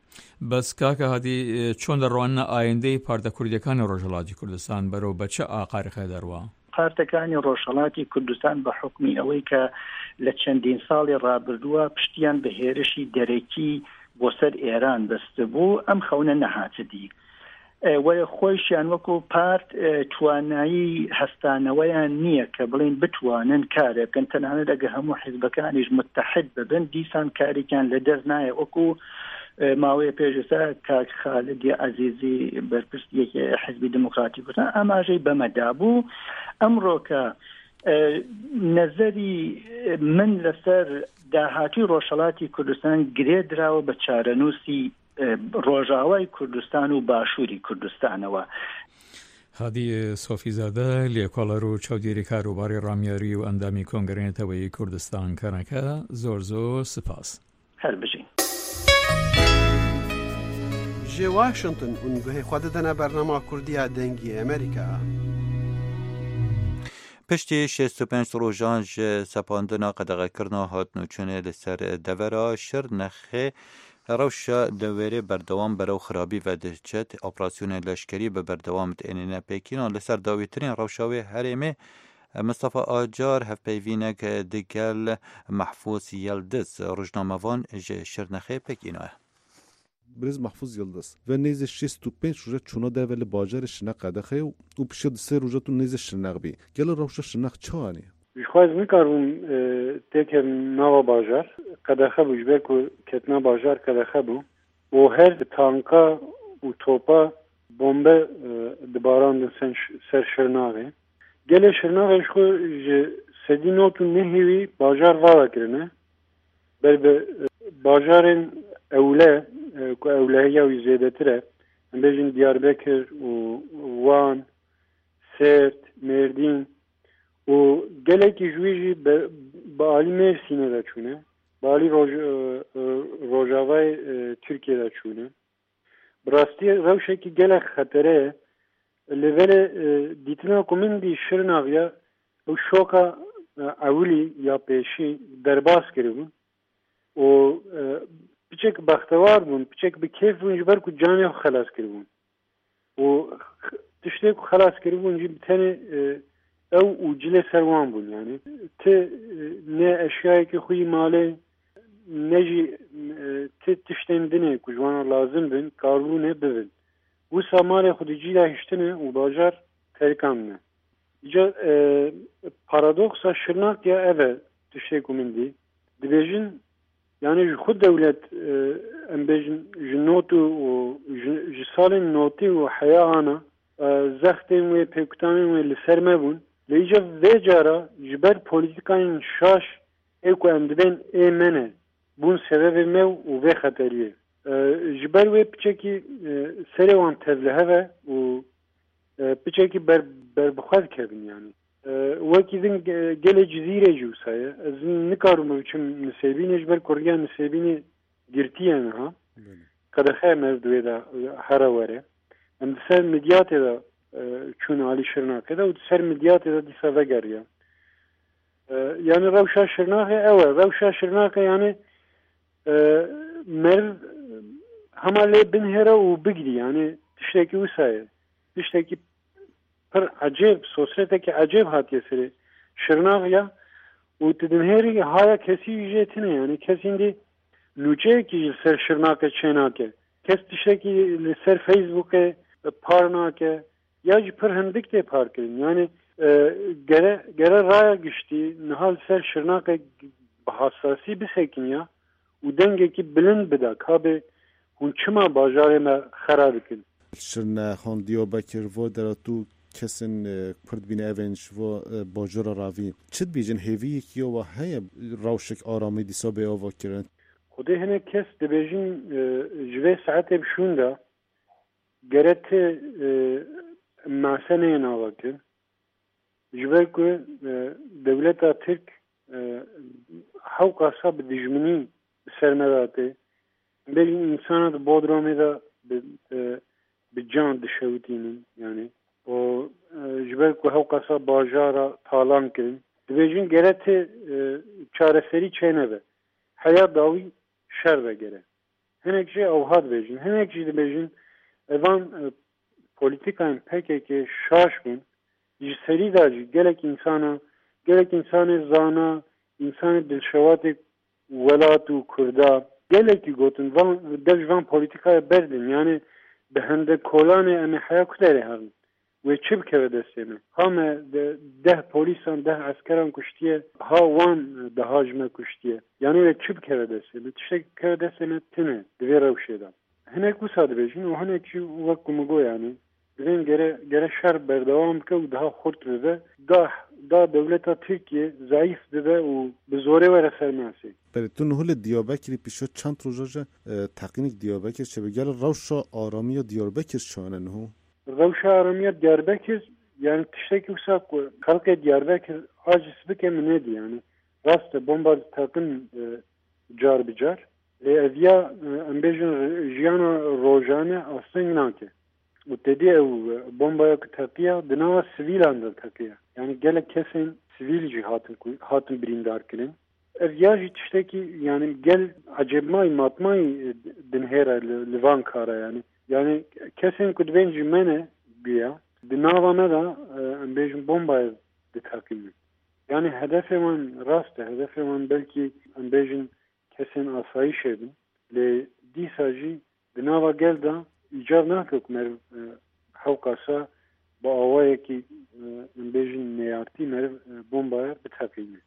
بەس کاکە هادی، چۆن دەڕواننە ئایندەی پارتە کوردیەکانی ڕۆژهەڵاتی کوردستان؟ بەرەو بە چ ئاقارێکە دەڕوا؟ پارتەکانی ڕۆژهەڵاتی کوردستان بە حکمی ئەوەی کە لە چەندین ساڵی ڕابردووە پشتیان بە هێرشی دەرەکی بۆ سەر ئێران بەستبوو، ئەم خەونە نەهاتە دی. ئێ، وەرە خۆیشیان وەکو پارت، ئێ، توانایی هەستانەوەیان نییە کە بڵێن بتوانن کارێ بکەن. تەنانەت ئەگە هەموو حیزبەکانیش متحد ببن، دیسان کارێکیان لە دەست نایە. وەکو، ئێ، ماوەیە پێش ئێستا کاک خالدی عەزیزی، بەرپرسیەکی حیزبی دیموکراتی کوردستان، ئاماژەی بەمەدا بوو. ئەمڕۆکە، ئێ، نەزەری من لەسەر داهاتووی ڕۆژهەڵاتی کوردستان گرێدراوە بە چارەنووسی، ئێ، ڕۆژاوای کوردستان و باشووری کوردستانەوە. هادی سۆفیزادە، لێکۆڵەر و چاودێری کاروباری ڕامیاری و ئەندامی کۆنگرەی نەتەوەیی کوردستان کەنەکە، زۆر زۆر سپاس. هەر بژین. Ji Washington hûn guhê xwe didine bernama Kurdiya Dengê Amerîka. Piştî şêst û pênc rojan ji sepandina qedexekirina hatinûçûnê li ser devera Şirnexê, rewşa dewêrê berdewam berew xirabî ve diçe. Operasyonên leşkerî bi berdewam tênêne pêkînan. Li ser dawîtirîn rewşa wê herêmê, Mistefa Acar hevpeyvînek digel Mehfûz Yildiz, rojnamevan ji Şirnexê pêkînaye. Birêz Mahfuz Yildiz, ve nêzê şêst û pênc roja çûna derve li bajarê Şirnex qedexe ye û pişiya du sê roja tu nêzê Şirnex bî. Gelo rewşa Şirnex çi anî? Ji xwe ez nikaribûm, e, têkevim nava bajar. Qedexe bû, ji ber ku ketina bajar qedexe bû. Û her tanka û topa bombe, e, dibarandin sen-, ser Şirnaxê. Gelê Şirnaxê ji xwe ji sedî nod û nehê wî bajar vala kirine. Ber bi, e, bajarên ewle, e, ku ewlehiya wî zêdetir e, em bêjin Diyarbekir û Wan, Sêrt, Mêrdîn û gelekî ji wî jî be-, bi alî Mêrsînê de çûne, bi alî Roj-, e, e, Rojavayê, e, Tirkiyê de çûne. Bi rastî rewşekî gelek xetere ye. Lê belê, e, dîtina ku min dî Şirnax ya, ew şoka, e, ewilî ya pêşî derbas kiribûn û, e, piçek bextewar bûn, piçek bi kêf bûn ji ber ku canê xwe xelas kiribûn. Û tiştê ku xelas kiribûn jî bi tenê, e, ew û cilê ser wan bûn. Yani ti, e, ne eşyayekî xwe yî malê, ne jî, e, ti tiştên dinê ku ji wan re lazim bin, karibûne bibin. Wisa malê xwe di cî de hiştine û bajar terikandine. Îca, e, paradoksa Şirnak ya ev e, tiştê ku min dî. Dibêjin, yani ji xwe dewlet, e, em bêjin ji notû û ji, ji salên notî û heya ana, e, zextên wê, pêkutanên wê li ser me bûn. Lê îca vê cara ji ber polîtîkayên şaş ê ku em dibên ê me ne, bûn sebebê me û vê xeteriyê. E, ji ber wê piçekî, e, serê wan tevlihev e û, e, piçekî ber, ber bi xwe dikevin yani. E, wekî din ge-, gelê Cizîrê jî wisa ye. Ez nikarim biçim Nisêbînê ji ber ku riya Nisêbînê girtiye niha. Belê. Qedexe me di wê de, e, here were. Em di ser Midyatê de, e, çûn alî Şirnakê de û di ser Midyatê de dîsa vegeriya. E, yani rewşa Şirnaxê ew e. Rewşa Şirnaxê yani, e, meriv hema lê binhêre û bigirî. Yani tiştekî wisa ye. Tiştekî pir ecêb, sosretekî ecêb hatiye serê Şirnax ya û tu dinhêrî haya kesî jê tine. Yani kes îndî nûçeyekî ji ser Şirnakê çênake. Kes tiştekî li ser Facebookê par nake. Ya jî pir hindik tê parkirin. Yani, e, gere, gere raya giştî niha li ser Şirnaqê bi hassasî bisekiniya û dengekî bilind bida, ka bê hûn çima bajarê me xera dikin? Şirnex, han Diyarbekir, vo dera tu kesên, e, pir dibîne evên ji vo, e, bajara ravî. Çi dibêjin, hêviyekî ya we heye rewşek aramî dîsa bê ava kirin? Xwedê hinek kes dibêjin, e, ji vê saetê bi şûn de gere ti, e, mase neyên ava kirin. Ji ber ku, e, dewleta Tirk, e, hewqasa bi dijminî bi ser me de tê. Bêjin însana di Bodromê de bi, e, bi can dişewitînin, yani. Û, e, ji ber ku hewqasa bajara talan kirin. Dibêjin gere ti, e, çareserî çênebe. Heya dawî şer vegere. Hinek jî ewha dibêjin. Hinek jî dibêjin, evan, e, polîtîkayên P K K şaş bûn. Ji serî de jî gelek însana, gelek însanê zana, însanê dilşewatê welat û Kurda, gelekî gotin, van, dev ji van polîtîkaya berdin. Yani bi hende kolanê em ê heya ku derê herin. Wê çi bikeve destê me? Ha me de deh polîsan, deh eskeran kuştiye, ha wan daha ji me kuştiye. Yani wê çi bikeve destê me? Tiştek bikeve destê me tine di vê rewşê de. Hinek wisa dibêjin û hinek jî wek ku min got, yani, divên gere, gere şer berdewam bike û daha xurt bibe. Da, da dewleta Tirkiye zayîf dibe û bi zorê were ser masê. Belê, tu niho li Diyarbekirî pişo çend roja ji, e, teqînik Diyarbekir çêbe. Gel rewşa aramiya Diyarbekir çi ane niho? Rewşa aramiya Diyarbekir, yani tiştekî wisa ku xelkê Diyarbekir aciz bike min nedî, yani. Rast e, bomba diteqin, e, car bi car. Lê ev ya, e, em bêjin, jiyana rojane asteng nake. Û tedî ew bombaya ku teqiya di nava sivîlan de teqiya. Yani gelek kesên sivîl jî hatin ku, hatin birîndar kirin. Ev ya jî tiştekî, yani gel ecêbmayî, matmayî, e, dinhêre li, li van kara yani. Yani kesên ku dibên ji me ne bûya, di nava me de, e, em bêjin bombaya diteqînin. Yani hedefê wan rast e, hedefê wan belkî em bêjin kesên asayîşê bin. Lê dîsa jî di nava gel de îcar nake ku meriv, e, hewqasa bi awayekî, e, em bêjin neyartî meriv, e, bombaya biteqîne.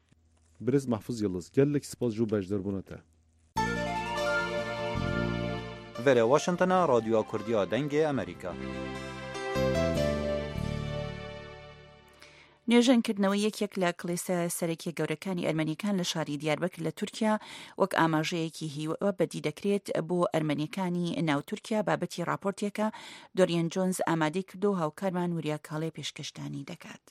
Birêz Mahfuz Yıldız, gelek spas ji bo beşdarbûna te. Vere Washingtona, Radyoya Kurdiya Dengê Amerîka. نوێژەنکردنەوەی یەکێک لە کڵێسە سەرەکیە گەورەکانی ئەرمەنیەکان لە شاری دیاربەکر لە تورکیا وەک ئاماژەیەکی هیوە بەدی دەکرێت بۆ ئەرمەنیەکانی ناو تورکیا. بابەتی راپۆرتێکە دۆریەن جۆنز ئامادەی کردو و هاوکارمان وریا کاڵێ پێشکەشتانی دەکات.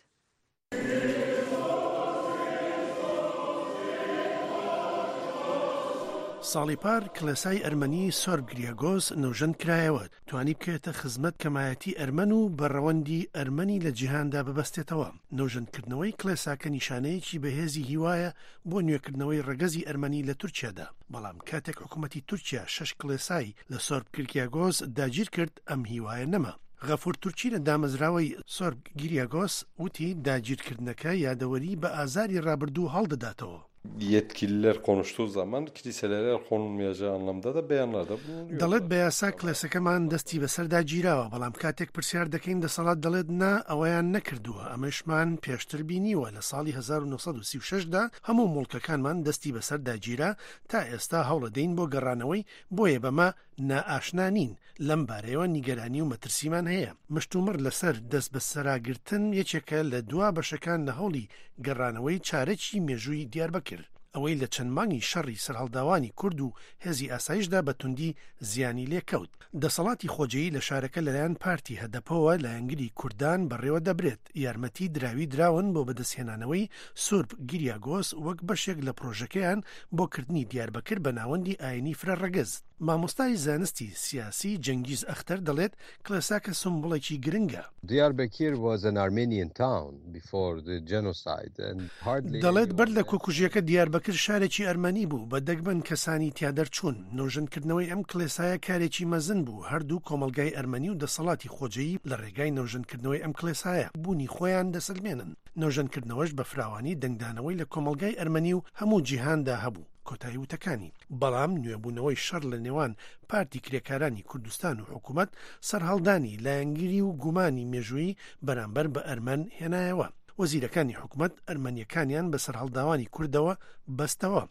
ساڵی پار کلێسای ئەرمەنی سۆرب گریاگۆز نەوژەند کرایەوە، توانی بکەوێتە خزمەت کەمایەتی ئەرمەن و بەڕەوەندی ئەرمەنی لە جیهاندا ببەستێتەوە. نەوژەندکردنەوەی کلێساکە نیشانەیەکی بەهێزی هیوایە بۆ نوێکردنەوەی ڕەگەزی ئەرمەنی لە تورکیادا. بەڵام کاتێک حکوومەتی تورکیا شەش کلێسای لە سۆرب گریاگۆز داگیر کرد، ئەم هیوایە نەما. غەفور تورکی لە دامەزراوەی سۆرب گریاگۆز وتی داگیرکردنەکە یادەوەری بە ئازاری ڕابردوو هەڵدەداتەوە. Yetkililer konuştuğu zaman kiliselere el konulmayacağı anlamda da beyanlarda bulunuyor. دەڵێت بە یاسا کلێسەکەمان دەستی بەسەردا گیراوە، بەڵام کاتێک پرسیار دەکەین دەسەڵات دەڵێت نا، ئەوەیان نەکردووە. ئەمەشمان پێشتر بینیوە، لە ساڵی هەزار و نۆ سەد و سی و شەش دا هەموو مڵکەکانمان دەستی بەسەردا گیرا، تا ئێستا هەوڵەدەین بۆ گەڕانەوەی، بۆیە بەمە نائاشنا نین. لەم بارەیەوە نیگەرانی و مەترسیمان هەیە. مشتومڕ لەسەر دەست بە سەراگرتن یەکێکە لە دوا بەشەکان لە هەوڵی گەڕانەوەی چارەکی مێژووی دیاربەکر. ئەوەی لە چەند مانگی شەڕی سەرهەڵداوانی کورد و هێزی ئاسایشدا بە توندی زیانی لێکەوت. دەسەڵاتی خۆجەیی لە شارەکە لەلایەن پارتی هەدەپەوە لایەنگری کوردان بەڕێوە دەبرێت. یارمەتی دراوی دراون بۆ بەدەستهێنانەوەی سورب گیریاگۆس وەک بەشێک لە پرۆژەکەیان بۆ کردنی دیاربەکر بە ناوەندی ئاینی فرە ڕەگەز. مامۆستای زانستی سیاسی جەنگیز ئەختەر دەڵێت کلێساکە سمبڵێکی گرنگە. Diyarbakir was an Armenian town before the genocide and hardly دەڵێت بەر لە anyone کۆکوژیەکە دیاربەکر شارێکی ئەرمەنی بوو، بە دەگمەن کەسانی تیا دەرچوون. نۆژەنکردنەوەی ئەم کلێسایە کارێکی مەزن بوو. هەردوو کۆمەلگای ئەرمەنی و دەسەڵاتی خۆجەیی لە ڕێگای نۆژەنکردنەوەی ئەم کلێسایە بوونی خۆیان دەسەلمێنن. نۆژەنکردنەوەش بە فراوانی دەنگدانەوەی لە کۆمەلگای ئەرمەنی و هەموو جیهاندا هەبوو. کۆتایی وتەکانی. بەڵام نوێبوونەوەی شەڕ لە نێوان پارتی کرێکارانی کوردستان و حکوومەت سەرهەڵدانی لایەنگری و گومانی مێژووی بەرامبەر بە ئەرمەن هێنایەوە. وەزیرەکانی حکوومەت ئەرمەنیەکانیان بە سەرهەڵداوانی کوردەوە بەستەوە.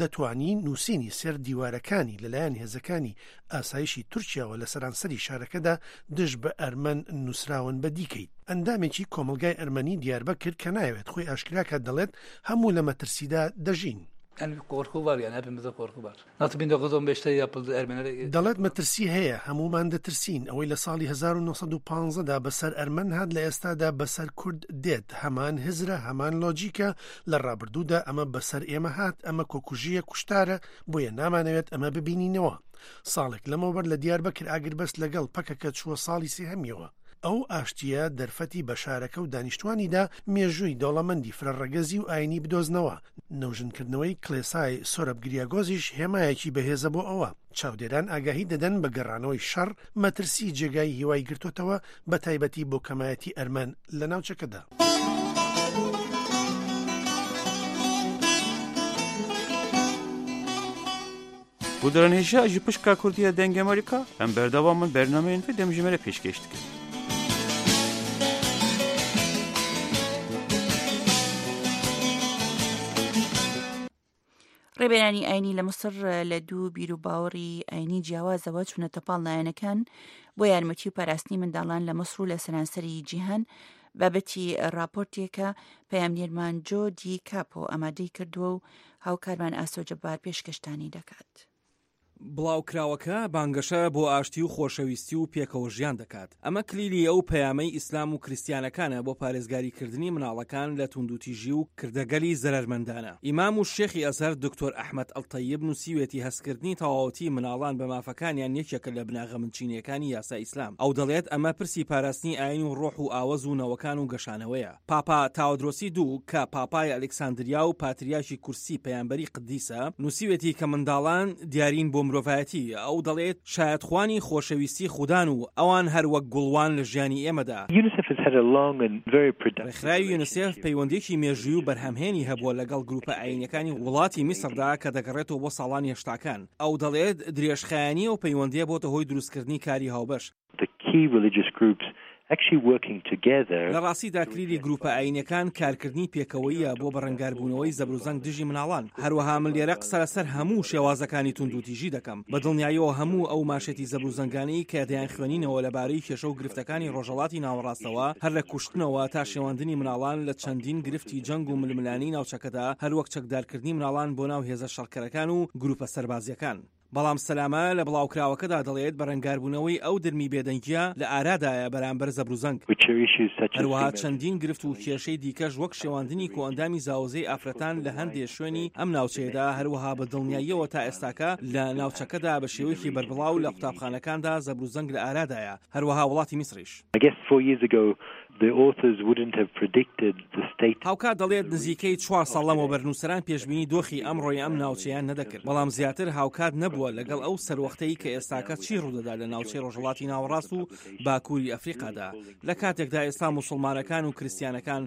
دەتوانی نووسینی سەر دیوارەکانی لەلایەن هێزەکانی ئاسایشی تورکیاوە لە سەرانسەری شارەکەدا دژ بە ئەرمەن نووسراون بە دیکەیت. ئەندامێکی کۆمەلگای ئەرمەنی دیاربەکر کە نایەوێت خۆی ئاشکراکە دەڵێت هەموو لە مەترسیدا دەژین. Yani bir korku var yani, hepimizde korku var. Nasıl bin dokuz yüz on beşte yapıldı Ermenilere دەڵێت مەترسی هەیە، هەمومان دەترسین. ئەوەی لە ساڵی هەزار و نۆ سەد و پازدە دا بەسەر ئەرمەن هات لە ئێستادا بەسەر کورد دێت. هەمان هزرە، هەمان لۆجیکە. لە ڕابردوودا ئەمە بەسەر ئێمە هات، ئەمە کۆکوژیە، کوشتارە، بۆیە نامانەوێت ئەمە ببینینەوە. ساڵێک لەمەوبەر لە دیاربەکر ئاگربەست لەگەڵ پەکەکە چووە ساڵی سێهەمیەوە. ئەو ئاشتیە دەرفەتی بە شارەکە و دانیشتوانیدا مێژووی دەوڵەمەندی فرەڕەگەزی و ئاینی بدۆزنەوە. نەوژنکردنەوەی کلێسای سۆرەب گریاگۆزیش هێمایەکی بەهێزە بۆ ئەوە. چاودێران ئاگاهی دەدەن بە گەڕانەوەی شەڕ، مەترسی جێگای هیوای گرتوتەوە، بە تایبەتی بۆ کەمایەتی ئەرمەن لە ناوچەکەدا. Guhdarên hêja ji pişka Kurdiya Dengê Amerîka, em berdewam in bernameyên vê dem ji me re pêşkêş dikin. ڕێبەرانی ئاینی لە مەسر لە دوو بیر و باوەڕی ئاینی جیاوازەوە چوونەتە پاڵ لایەنەکان بۆ یارمەتی و پاراستنی منداڵان لە مەسر و لە سەرانسەری جیهان. بابەتی راپۆرتێکە پەیامنێرمان جۆ دی کاپۆ ئامادەی کردووە و هاوکارمان ئاسۆ جەبار پێشکەشتانی دەکات. بڵاوکراوەکە بانگەشە بۆ ئاشتی و خۆشەویستی و پێکەوە ژیان دەکات. ئەمە کلیلی ئەو پەیامەی ئیسلام و کریستیانەکانە بۆ پارێزگاریکردنی مناڵەکان لە توندوتیژی و کردەگەلی زەرەرمەندانە. ئیمام و شێخی ئەزهەر دکتۆر ئەحمەد ئەلتەیب نووسیوێتی هەستکردنی تەواوەتی مناڵان بە مافەکانیان یەکێکە لە بناغە بنچینەکانی یاسا ئیسلام. ئەو دەڵێت ئەمە پرسی پاراستنی ئاین و ڕۆح و ئاوەز و نەوەکان و گەشانەوەیە. پاپا تاودرۆسی دوو کە پاپای ئەلکساندریا و پاتریاکی کورسی پەیامبەری قدیسە، نووسیوێتی کە منداڵان دیارین بۆ مرۆڤایەتی. ئەو دەڵێت شایەتخوانی خۆشەویستی خودان و ئەوان هەر وەک گوڵوان لە ژیانی ئێمەدا. UNICEF has had a long and very productive ڕێکخراوی یونیسێف پەیوەندیەکی مێژووی و بەرهەمهێنی هەبووە لەگەڵ گروپە ئاینەکانی وڵاتی میسردا کە دەگەڕێتەوە بۆ ساڵانی هێشتاکان. ئەو دەڵێت درێژخایەنی و پەیوەندیە بۆتە هۆی دروستکردنی کاری هاوبەش. The key religious groups actually working together. لە ڕاستیدا کلیلی گروپە ئاینەکان کارکردنی پێکەوەیە بۆ بەڕەنگاربوونەوەی زەبروزەنگ دژی مناڵان. هەروەها من لێرە قسە لەسەر هەموو شێوازەکانی توندوتیژی دەکەم. بە دڵنیاییەوە هەموو ئەو ماشێتی زەبروزەنگانەی کە دەیان خوێنینەوە لەبارەی کێشە و گرفتەکانی ڕۆژهەڵاتی ناوەڕاستەوە، هەر لە کوشتنەوە تا شێواندنی مناڵان لە چەندین گرفتی جەنگ و ململانی ناوچەکەدا، هەر وەک چەکدارکردنی مناڵان بۆ ناو هێزە شەڕکەرەکان و گروپە سەربازیەکان. بەڵام سەلامە لە بڵاوکراوەکەدا دەڵێت بەرەنگاربوونەوەی ئەو درمی بێدەنگیە لە ئارادایە بەرامبەر زەبروزەنگ. Which are issues such as هەروەها female چەندین گرفت و کێشەی دیکەش وەک شێواندنی کۆئەندامی زاوزێی ئافرەتان لە هەندێ شوێنی ئەم ناوچەیەدا، هەروەها بە دڵنیاییەوە تا ئێستاکە لە ناوچەکەدا بە شێوەیەکی بەربڵاو لە قوتابخانەکاندا زەبروزەنگ لە ئارادایە، هەروەها وڵاتی میسریش. I guess four years ago, the authors wouldn't have predicted the state. هاوکات دەڵێت نزیکەی چوار ساڵ لەمەوبەر نووسەران پێشبینی دۆخی ئەمڕۆی ئەم ناوچەیان نەدەکرد، بەڵام زیاتر هاوکات نەبووە لەگەڵ ئەو سەروەختەی کە ئێستاکە چی ڕوودەدا لە ناوچەی ڕۆژهەڵاتی ناوەڕاست و باکووری ئەفریقادا، لە کاتێکدا ئێستا موسڵمانەکان و کریستیانەکان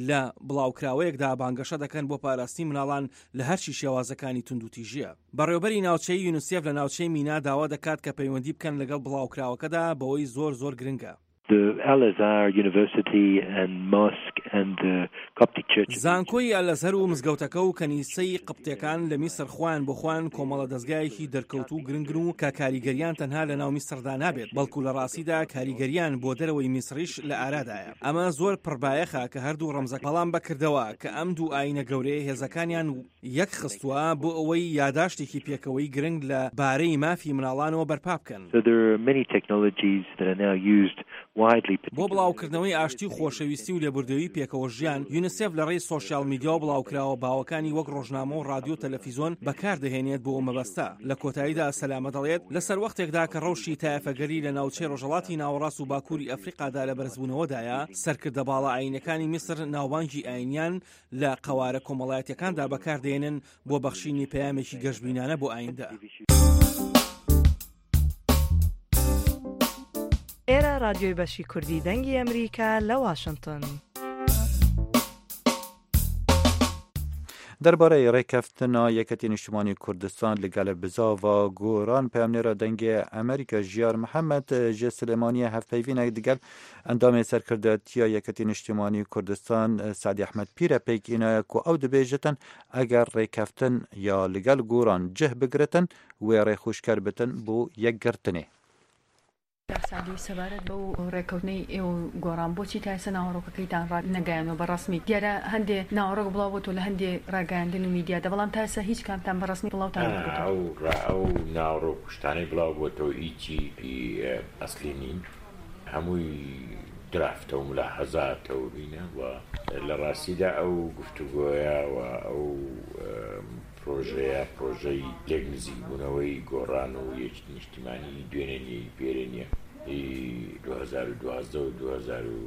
لە بڵاوکراوەیەکدا بانگەشە دەکەن بۆ پاراستنی مناڵان لە هەرچی شێوازەکانی توندوتیژیە. بەڕێوەبەری ناوچەی یونیسێف لە ناوچەی مینا داوا دەکات کە پەیوەندی بکەن لەگەڵ بڵاوکراوەکەدا، بەوەی زۆر زۆر گرنگە. The Al Azhar University and Mosque and the Coptic Church of زانکۆی ئەلەزهەر و مزگەوتەکە و کەنیسەی قبتەکان لە میسر خۆیان بۆ خۆیان کۆمەڵە دەستگایەکی دەرکەوتوو گرنگن و کە کاریگەریان تەنها لە ناو میسردا نابێت، بەڵکو لە ڕاستیدا کاریگەریان بۆ دەرەوەی میسریش لە ئارادایە. ئەمە زۆر پڕبایەخە کە هەردوو ڕەمزە، بەڵام بەکردەوە کە ئەم دوو ئاینە گەورەیە هێزەکانیان یەک خستووە بۆ ئەوەی یاداشتێکی پێکەوەی گرنگ لە بارەی مافی مناڵانەوە بەرپا بکەن. So there are many technologies that are now used widely, بۆ بڵاوکردنەوەی ئاشتی و خۆشەویستی و لێبوردەوەی پێکەوە ژیان، یونیسێف لە ڕێی سۆشیال میدیا و بڵاوکراوە باوەکانی وەک ڕۆژنامە و ڕادیۆ و تەلەفیزۆن بەکاردەهێنێت بۆ ئەو مەبەستە. لە کۆتاییدا سەلامە دەڵێت لە سەر وەختێکدا کە ڕەوشی تایەفەگەری لە ناوچەی ڕۆژهەڵاتی ناوەڕاست و باکووری ئەفریقادا لە بەرزبوونەوەدایە، سەرکردە باڵا ئاینەکانی میسر ناوبانگی ئاینیان لە قەوارە کۆمەڵایەتیەکاندا بەکاردێنن بۆ بەخشینی پەیامێکی گەشبینانە بۆ ئایندە. ئێرە ڕادیۆی بەشی کوردی دەنگی ئەمریکا لە واشنگتن. دەربارەی ڕێکەفتنا یەکێتی نیشتیمانی کوردستان لەگەڵ بزاڤا گۆڕان، پەیامنێرە دەنگی ئەمریکا ژیار محەممەد ji Silêmaniyê hevpeyvînek digel endamê serkirdatiya Yeketî Niştimanî Kurdistan, Sedî Ehmed Pîr e pêk înaye ku ew dibêjitin, eger rêkeftin ya li gel Goran cih bigiritin, wê rêxûşker bitin bo yekgirtinê. Sedî, sebaret بەو ڕێکەوتنەی ئێوە و گۆڕان، بۆچی تا ئێستا ناوەڕۆکەکەیتان ڕا نەگەیانەوە بە ڕەسمی؟ دیارە هەندێ ناوەڕۆک بڵاو بۆتەوە لە هەندێ ڕاگەیاندن و میدیادا، بەڵام تا ئێستا هیچ کامتان بە ڕەسمی بڵاوتان نەکردووە. ئەو ڕا-، ئەو ناوەڕۆک کوشتانەی بڵاو بۆتەوە، هیچی، ئە، ئەسلی نین. هەمووی درافتە و ملاحەزاتە و هینە و لە ڕاستیدا ئەو گفتوگۆیە و ئەو، ئە، پرۆژەیە، پرۆژەی لێک نزیکبوونەوەی گۆڕان و یەکێتی نیشتیمانی دوێنێ نیە، پێرێ نیە. ئی دوو هەزار و دوازدە و دوو هەزار و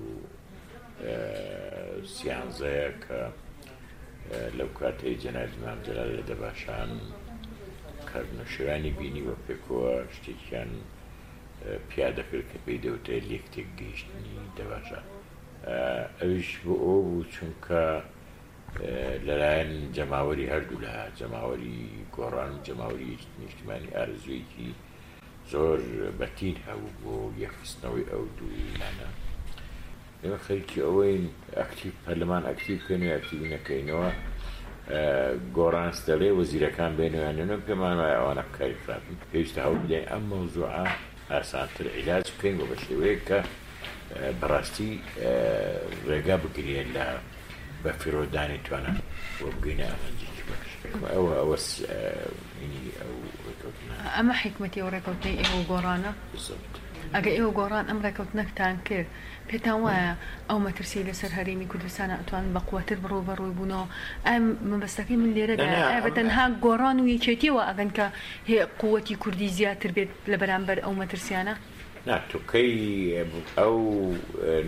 سیانزەیە کە، ئە، لەو کاتەی جەنابی مام جەلال لە دەباشان کارنەشرانی بینی و پێکەوە شتێکیان، ئە، پیادەکرد کە پێی دەوترێت لێک تێکگەیشتنی دەباشان. ئە، ئەویش بۆ ئەوە بوو چونکە، ئە، لەلایەن جەماوەری هەردوو لە جەماوەری گۆڕان و جەماوەری نیشتیمانی ئارەزوویەکی زۆر بەتین هەبوو بۆ یەکخستنەوەی ئەو دوو لایەنە. ئێمە خەریکی ئەوەین ئەکتیڤ، پەرلەمان ئەکتیڤ بکەین و ئەکتیڤی نەکەینەوە. ئە، گۆڕانس دەڵێ وەزیرەکان بێنەوە یان نێنەوە، پێمان وایە ئەوانە کاری خراپن. پێویستە هەوڵ بدەین ئەم مەوزوعە ئاسانتر عیلاج بکەین و بە شێوەیەک کە، ئە، بەڕاستی، ئە، ڕێگا بگرێت لە بە فیرۆدانی توانە و بگەینە ئامانجێکی باش. ئەوە ئەوە ئینی ئەو ڕێکەوتنە. ئەمە حکمەتی ئەو ڕێکەوتنەی ئێوە گۆڕانە؟ ئەگە ئێوە گۆڕان ئەم ڕێکەوتنەکتان کرد، پێتان وایە ئەو مەترسی لەسەر هەرێمی کوردستان ئەتوان بە قوتر بڕۆ بەڕووی بوونەوە؟ ئەم مەبەستەکەی من لێرەدا ئەبە تەنها گۆڕان و یەکێتیەوە ئەگەن کە هێ قوتی کوردی زیاتر بێت لە بەرامبەر ئەو مەترسیانە؟ نا، توکەی ئەو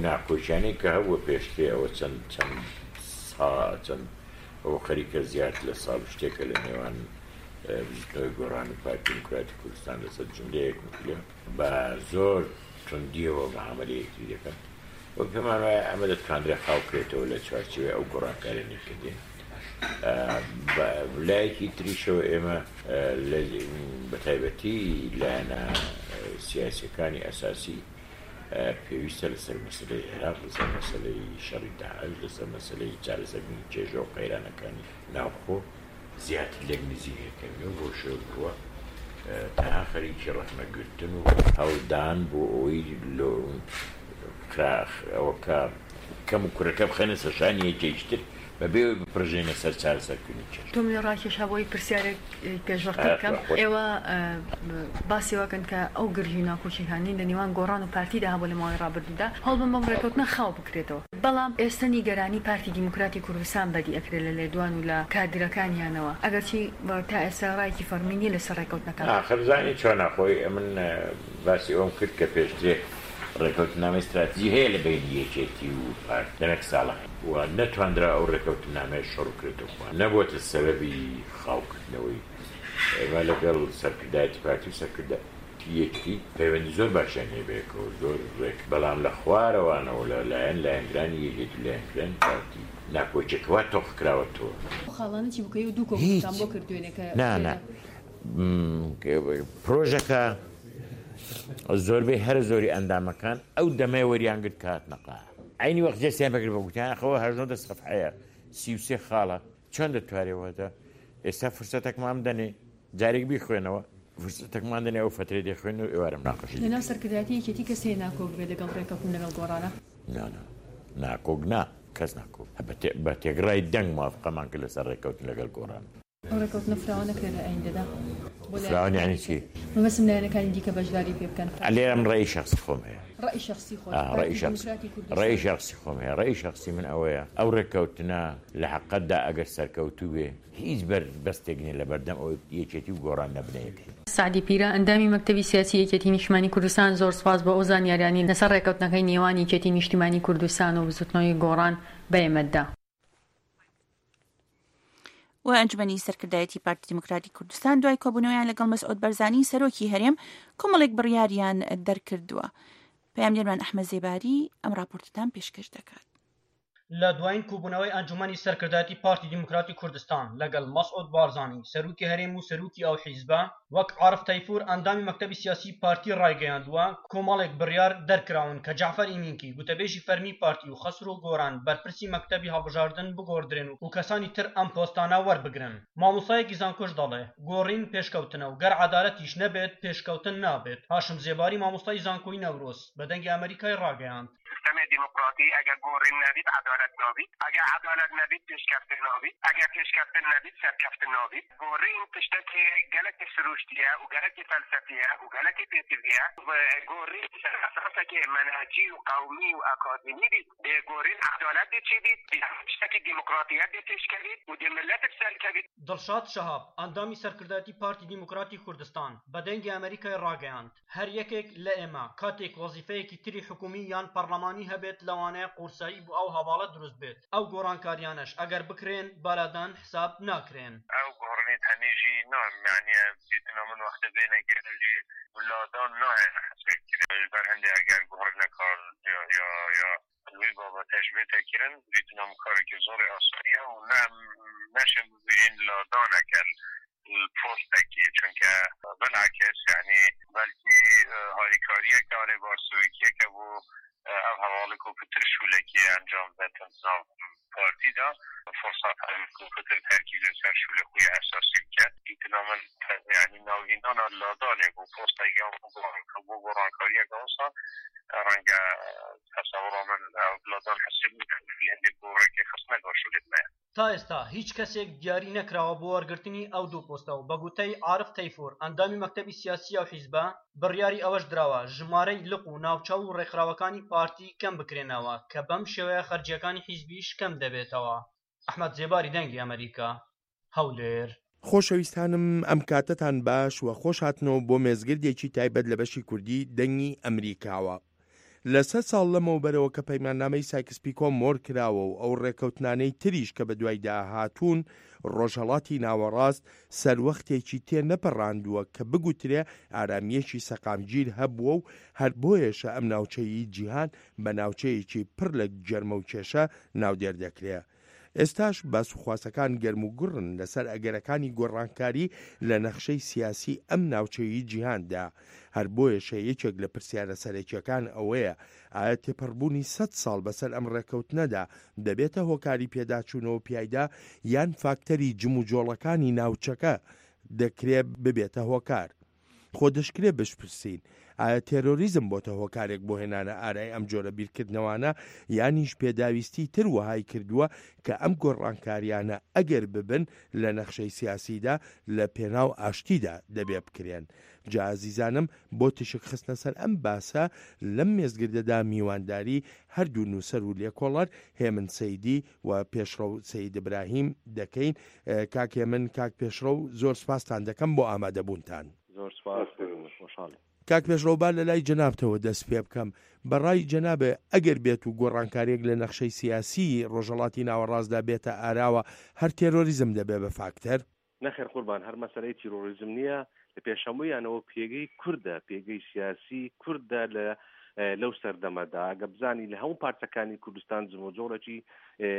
ناکۆچیانەی کە هەبووە پێشترێ، ئەوە چەند چەند سا چەند ئەو خەریکە زیاد لە ساڵ شتێکە لە نێوان بزوتنەوەی گۆڕان و پارتی دیموکراتی کوردستان لەسەر جملەیەک مکلە بە زۆر توندیەوە مەعاملەیەکی دەکەن. وەک پێمان وایە ئەمە دەتوانرێت خاوکرێتەوە لە چوارچێوەی ئەو گۆڕانکاریانەی کردین. لایەکی تریشەوە ئێمە بە تایبەتی لایەنە سیاسیەکانی ئەساسی پێویستە لەسەر مەسلەی عێراق، لەسەر مەسلەی شەڕی داعش، لەسەر مەسلەی چارەسەرکردنی کێشە و قەیرانەکانی ناوخۆ زیاتر لێک نزیکەکەوین و بۆ شێوە بڕوە تەنها خەریکی ڕەخنەگرتن و هەوڵدان بۆ ئەوەی لۆ کراخ ئەوە کە کەم و کورەکە بخەنە سەشانی یەکێکتر بەبێ بپڕژێنە سەر چارەسەرکردنی کێش. تۆ منێ ڕاکێشا بۆی پرسیارێک پێشوەختەکەم ئێوە باسی واکەن کە ئەو گرژی ناکۆچیکانی لە نێوان گۆڕان و پارتیدا هەبوو لە ماوەی ڕابردوودا هەوڵ بە مەم ڕێکەوتنە خاو بکرێتەوە، بەڵام ئێستا نیگەرانی پارتی دیموکراتی کوردستان بەدی ئەکرێت لە لێدوان و لە کادرەکانیانەوە، ئەگەرچی تا ئێستا ڕایەکی فەرمی نیە لەسەر ڕێکەوتنەکان. ئاخر زانی چۆنە خۆی من باسی ئەوم کرد کە پێشترێ ڕێکەوتنامەی استراتیژی هەیە لە بینی یەکێتی و پارت لەمێک ساڵە و نەتواندرا ئەو ڕێکەوتنامەیە شەڕ کرێتەوە، نەبووتە سەبەبی خاوکردنەوەی ئێمە لەگەڵ سەرکردایەتی پارتی و سەرکردایەتی یەکێتی پەیوەندی زۆر باشیان هەیە بەیەکەوە، زۆر ڕێک، بەڵام لە خوارەوانەوە لە لایەن لایەنگرانی یەکێتی و لایەنگرانی پارتی ناکۆچێکەوە تۆخ کراوەتەوە. خاڵانە چی بکەی و دوو کۆمەڵتان بۆ کردوێنێ کە نا نا پرۆژەکە زۆربەی هەر زۆری ئەندامەکان ئەو دەمەیە وەریان گرت کە هاتنە قاع. عینی وەخت جێ سێن بەکرد بە گوتیان خەوە هەژدە سەفحەیە، سی و سێ خاڵە، چۆن دەتوارێ وەدە؟ ئێستا فرسەتەکمان بدەنێ جارێک بیخوێنەوە، فرسەتەکمان دەنێ ئەو فەترەی دەخوێن و ئێوارە مناقەشی لەناو سەرکردایەتی یەکێتی کەسێ ناکۆک بێ لەگەڵ ڕێکەوتن لەگەڵ گۆڕانە؟ نا نا، ناکۆک نا، کەس ناکۆک بە تێ- بە تێگڕای دەنگ موافقەمان کرد لەسەر ڕێکەوتن لەگەڵ گۆڕان. ئەو ڕێکەوتنە فراوە نەکرێت لە ئایندەدا؟ بۆ لایەن فراوان یعنی چی؟ مەبەستم لایەنەکانی دیکە بەشداری پێ بکەن. لێرە من ڕێی شخصی خۆم هەیە. ڕێی شخصی خۆت؟ ئا، ڕێی شخص- ڕێی شخصی خۆم هەیە، ڕێی شخصی من ئەوەیە ئەو ڕێکەوتنە لە حەقەتدا ئەگەر سەرکەوتوو بێ هیچ بەربەستێک نیە لە بەردەم ئەوەی یەکێتی و گۆڕان نەبنە یەکێتی. سەعدی پیرە ئەندامی مەکتەبی سیاسی یەکێتی نیشتیمانی کوردستان، زۆر سپاس بۆ ئەو زانیاریانی لەسەر ڕێکەوتنەکەی نێوان یەکێتی نیشتیمانی کوردستان و بزوتنەوەی گۆڕان بە ئێمەدا. و ئەنجومەنی سەرکردایەتی پارتی دیموکراتی کوردستان دوای کۆبوونەوەیان لەگەڵ مەسعود بەرزانی سەرۆکی هەرێم کۆمەڵێک بڕیاریان دەرکردووە. پەیامنێرمان ئەحمەد زێباری ئەم راپۆرتتان پێشکەش دەکات. لە دوایین کۆبوونەوەی ئەنجومەنی سەرکردایەتی پارتی دیموکراتی کوردستان لەگەڵ مەسعود بارزانی سەرۆکی هەرێم و سەرۆکی ئەو حیزبە، وەک عارف تەیفور ئەندامی مەکتەبی سیاسی پارتی ڕایگەیاندووە، کۆمەڵێک بڕیار دەرکراون کە جەعفەر ئیمینکی گوتەبێژی فەرمی پارتی و خەسرۆ گۆران بەرپرسی مەکتەبی هەڵبژاردن بگۆڕدرێن و کەسانی تر ئەم پۆستانە وەربگرن. مامۆستایەکی زانکۆش دەڵێ، گۆڕین پێشکەوتنە و گەر عەدالەتیش نەبێت پێشکەوتن نابێت. هاشم زێباری مامۆستای زانکۆی نەورۆز بە دەنگی ئەمریکای ڕاگەیاند. سیستەمێ دیموکراتی ئەگەر گۆڕین نەبیت عەدالەت نابیت، ئەگەر عەدالەت نەبیت پێشکەفتن نابیت، ئەگەر پێشکەفتن نەبیت سەرکەفتن نابیت. گۆڕین تشتێکی گەلەکی سروشتیە و گەلەکی فەلسەفیە و گەلەکی پێتیڤیە. گۆڕین سەر ئەساسێکی مەنهەجی و قەومی و ئەکادیمی بیت، بێ گۆڕین عەدالەت دێ چی بیت، بێ تشتێکی دیموکراتیەت دێ پێشکەویت و دێ ملەت سەرکەویت. دڵشاد شەهاب ئەندامی سەرکردایەتی پارتی دیموکراتی کوردستان بە دەنگی ئەمریکای ڕاگەیاند، هەر یەکێک لە ئێمە کاتێک وەزیفەیەکی تری حکومی یان پەرلەمانی هەبێت لەوانەیە قورسایی بۆ ئەو هەواڵە دروست بێت. ئەو گۆڕانکاریانەش ئەگەر بکرێن بالادان حساب ناکرێن. ئەو گۆڕنی تەنیژی نام معنیە دیتنا من وەختە بێنە گەرژی لادان نایە حسێک کرێن بەر هەندێ ئەگەر گۆڕنەکار یا یا یا وی بابەتەش بێتە کرێن دیتنا کارێکی زۆری ئاسانیە و نە نەشم ببیرین لادانەکەن پۆستەکی، چونکە بناکەس یعنی بەلکی هاریکاریەکە ئەرێ بارسوێکیەکە بۆ ئەم هەواڵێک و پتر شوولەکی ئەنجام دەتن ناو پارتیدا فرصت هەوێت و پتر تەرکیز لەسەر شوولە خوی ئەساسی بکەن. ئیتنا من یعنی ناوینانا لادانێ بۆ پۆستەگەم بۆ گۆڕانکاریەکە ئەوسا ڕەنگە تەسەوڕە من لادان حسێب هەندێک بۆ ڕێکی خستنەکە شوولێت مەیە. تا ئێستا هیچ کەسێک دیاری نەکراوە بۆ وەرگرتنی ئەو دوو پۆستە و بە گوتەی عارف تەیفور، ئەندامی مەکتەبی سیاسیە و حیزبە، بڕیاری ئەوەش دراوە ژمارەی لق و ناوچە و ڕێکخراوەکانی پارتی کەم بکرێنەوە، کە بەم شێوەیە خەرجیەکانی حیزبیش کەم دەبێتەوە. ئەحمەد زێباری، دەنگی ئەمریکا، هەولێر. خۆشەویستانم، ئەم کاتتان باش و خۆش هاتنەوە بۆ مێزگردێکی تایبەت لە بەشی کوردی دەنگی ئەمریکاوە. لە سەد ساڵ لەمەوبەرەوە کە پەیماننامەی سایکس پیکۆ مۆر کراوە و ئەو ڕێکەوتنانەی تریش کە بە دوایدا هاتوون، ڕۆژهەڵاتی ناوەڕاست سەروەختێکی تێ نەپەڕاندووە کە بگوترێ ئارامیەکی سەقامگیر هەبووە و هەر بۆیەشە ئەم ناوچەیی جیهان بە ناوچەیەکی پڕ لە گەرمە و کێشە ناودێر دەکرێ. ئێستاش باس و خواسەکان گەرم و گوڕن لەسەر ئەگەرەکانی گۆڕانکاری لە نەخشەی سیاسی ئەم ناوچەیی جیهاندا. هەر بۆیەشە یەکێک لە پرسیارە سەرەکیەکان ئەوەیە، ئایا تێپەڕبوونی سەد ساڵ بەسەر ئەم ڕێکەوتنەدا دەبێتە هۆکاری پێداچوونەوە پیایدا، یان فاکتەری جم و جۆڵەکانی ناوچەکە دەکرێ ببێتە هۆکار؟ خۆ دەشکرێ بشپرسین، ئایا تێرۆریزم بۆتە هۆکارێک بۆ هێنانە ئارای ئەم جۆرە بیرکردنەوانە، یانیش پێداویستی تر وەهای کردووە کە ئەم گۆڕانکاریانە ئەگەر ببن لە نەخشەی سیاسیدا، لە پێناو ئاشتیدا دەبێ بکرێن؟ جا ئازیزانم، بۆ تیشک خستنە سەر ئەم باسە، لەم مێزگردەدا میوانداری هەردوو نووسەر و لێکۆڵەر هێمن سەیدی و پێشڕەو سەید ئیبراهیم دەکەین. ئە، کاک هێمن، کاک پێشڕەو، زۆر سپاستان دەکەم بۆ ئامادەبوونتان. زۆر سپاس، خۆشحاڵی. کاک پێشڕەو، با لە لای جەنابتەوە دەست پێ بکەم. بەڕای جەنابێ، ئەگەر بێت و گۆڕانکاریەک لە نەخشەی سیاسی ڕۆژهەڵاتی ناوەڕاستدا بێتە ئاراوە، هەر تێرۆریزم دەبێ بە فاکتەر؟ نەخێر قوربان، هەر مەسەلەی تیرۆریزم نییە. لە پێشەمویانەوە پێگەی کوردە، پێگەی سیاسی کوردە لە، ئە، لەو سەردەمەدا. ئەگە بزانی لە هەموو پارچەکانی کوردستان جموجۆڵێکی، ئە،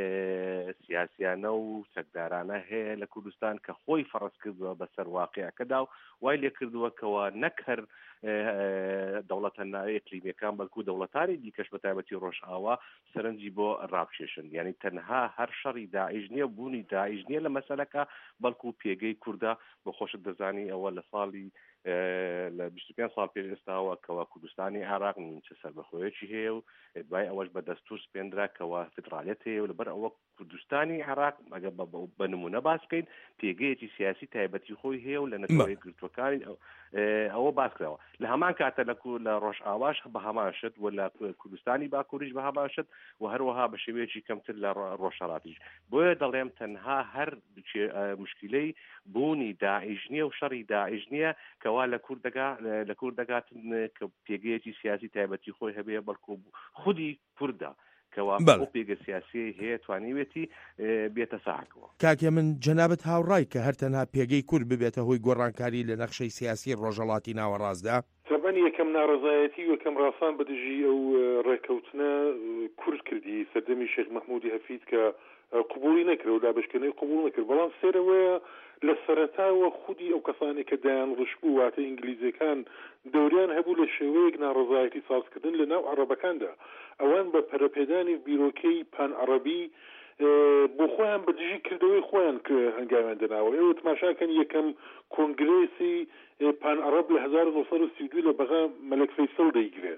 سیاسیانە و چەکدارانە هەیە لە کوردستان کە خۆی فەرز کردووە بەسەر واقعەکەدا و وای لێ کردووە کەوا نەک هەر، ئە، ئە، دەوڵەتە ناوی ئەقلیمیەکان، بەڵکو دەوڵەتانی دیکەش بە تایبەتی ڕۆژئاوا سەرنجی بۆ ڕابکێشن. یعنی تەنها هەر شەڕی داعش نییە، بوونی داعش نییە لە مەسەلەکە، بەڵکو پێگەی کوردە. بۆ خۆشت دەزانی ئەوە لە ساڵی، ئە، لە بیست و پێنج ساڵ پێش ئێستاوە کەوا کوردستانی عێراق نیمچە سەربەخۆیەکی هەیە و دوای ئەوەش بە دەستور سپێندرا کەوا فدرالیەت هەیە و لەبەر ئەوە کوردستانی عێراق، ئەگەر بە، بە، بە نمونە باس بکەین، پێگەیەکی سیاسی تایبەتی خۆی هەیە و لە نەتەوە بەڵێ. یەکگرتووەکانی ئەو، ئێ، ئەوە باس کراوە. لە هەمان کاتە لە کو-، لە ڕۆژئاواش بە هەمان شت و لە کو-، کوردستانی باکووریش بە هەمان شت و هەروەها بە شێوەیەکی کەمتر لە ڕۆ-، ڕۆژهەڵاتیش. بۆیە دەڵێم تەنها هەر چێ-، ئە، مشکلەی بوونی داعش نییە و شەڕی داعش نییە کەوا لە کورد دەگا-، لە کورد دەگاتن کە پێگەیەکی سیاسی تایبەتی خۆی هەبێ، بەڵکو خودی کوردە کەوا بەڵێ. ئەو پێگە سیاسیەی هەیە توانیوێتی، ئێ، بێتە ساحەکەوە. کاکێ من، جەنابەت هاوڕای کە هەر تەنها پێگەی کورد ببێتە هۆی گۆڕانکاری لە نەخشەی سیاسی ڕۆژهەڵاتی ناوەڕاستدا؟ تەبەن یەکەم ناڕەزایەتی و یەکەم ڕاسان بە دژی ئەو، ئێ، ڕێکەوتنە، ئێ، کورد کردی سەردەمی شێخ مەحموودی هەفید کە، ئێ، قبوڵی نەکرد و دابشکردنەوەی قبوڵ نەکرد. بەڵام سێرەوەیە لە سەرەتاوە خودی ئەو کەسانێک کە دایان ڕشبوو، واتە ئینگلیزیەکان، دەوریان هەبوو لە شێوەیەک ناڕەزایەتی سازکردن لە ناو عەڕەبەکاندا. ئەوان بە پەرەپێدانی بیرۆکەی پان عەڕەبی، ئێ، بۆ خۆیان بە دژی کردەوەی خۆیان ک-، هەنگاویان دەناوە. ئێوە تماشاکەن یەکەم کۆنگرێسی، ئێ، پان عەڕەب لە هەزار و نۆ سەد و سی و دوو لە بەغا مەلەک فەیسەڵ دەیگرێ.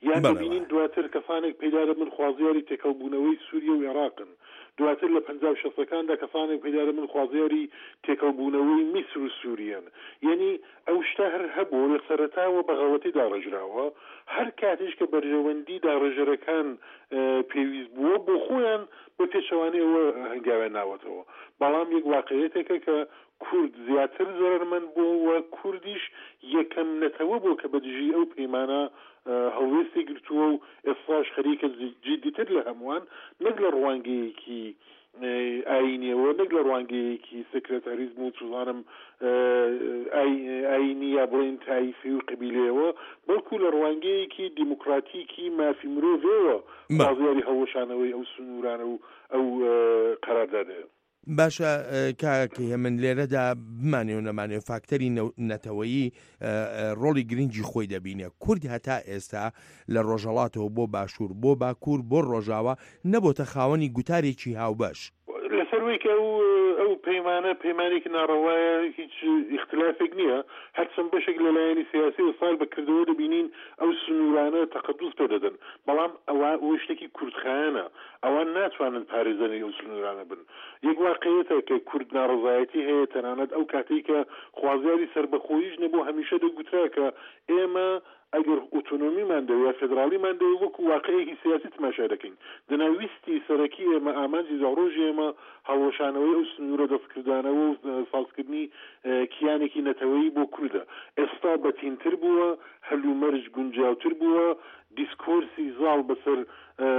یان بەڵێ، دەبینین بەڵێ. دواتر کەسانێک پەیدا دەبن خوازیاری تێکەڵبوونەوەی سووریە و عێراقن. دواتر لە پەنجا و شەستەکاندا کەسانێک پەیدا دەبن خوازیاری تێکەڵبوونەوەی میسر و سووریەن. یعنی ئەو شتە هەر هەبوو لە سەرەتاوە بە غەڵەتی داڕێژراوە. هەر کاتیش کە بەرژەوەندی داڕێژەرەکان، ئێ، پێویست بووە، بۆ خۆیان بە پێچەوانەی ئەوە هەنگاویان ناوەتەوە. بەڵام یەک واقعیەتێکە کە کورد زیاتر زەرەرمەند بووە و کوردیش یەکەم نەتەوە بووە کە بە دژی ئەو پەیمانە، ئێ، هەڵوێستی گرتووە و ئێستاش خەریکە جی-، جیددیتر لە هەمووان، نەک لە ڕوانگەیەکی، ئێ، ئاینیەوە، نەک لە ڕوانگەیەکی سکرتاریزم و چوزانم، ئێ، ئای-، ئاینی یا بڵێن تایفی و قبیلەیەوە، بەڵکو لە ڕوانگەیەکی دیموکراتیکی مافی مرۆڤەوە بە. خوازیاری هەڵوەشانەوەی ئەو سنوورانە و ئەو، ئێ، قەراردادەیە. باشە، ئە، کاک هێمن، لێرەدا بمانێ و نەمانێ، فاکتەری نەو-، نەتەوەیی، ئە، ئە، ڕۆڵی گرنگی خۆی دەبینێ. کورد هەتا ئێستا لە ڕۆژهەڵاتەوە بۆ باشوور، بۆ باکوور، بۆ ڕۆژاوا نەبۆتە خاوەنی گوتارێکی هاوبەش. لە سەروەیکە ئەو ئەو پەیمانە پەیمانێکی ناڕەوایە، هیچ ئیختلافێک نییە. هەرچەند بەشێک لە لایەنی سیاسی ئیسرائیل بە کردەوە دەبینین ئەو سنوورانە تەقەدوس پێ دەدەن، بەڵام ئەوە ئەوە شتێکی کوردخایەنە. ئەوان ناتوانن پارێزەری ئەو سنوورانە بن. یەک واقعیەتە کە کورد ناڕەزایەتی هەیە، تەنانەت ئەو کاتێک کە خوازیاری سربەخۆییش نەبوو، هەمیشە دەگوترا کە ئێمە ئەگەر ئۆتۆنۆمیمان دەوێت، فێدراڵیمان دەوێت، وەکو واقعەیەکی سیاسی تماشا دەکەین. دەنا ویستی سەرەکی ئێمە، ئامانجی زاڕۆژی ئێمە، هەڵوەشانەوەی ئەو سنوورە دەستکردانەوە و سازکردنی، ئە، کیانێکی نەتەوەیی بۆ کوردە. ئێستا بەتینتر بووە، هەلومەرج گونجاوتر بووە، دیسکۆرسی زاڵ بەسەر، ئە،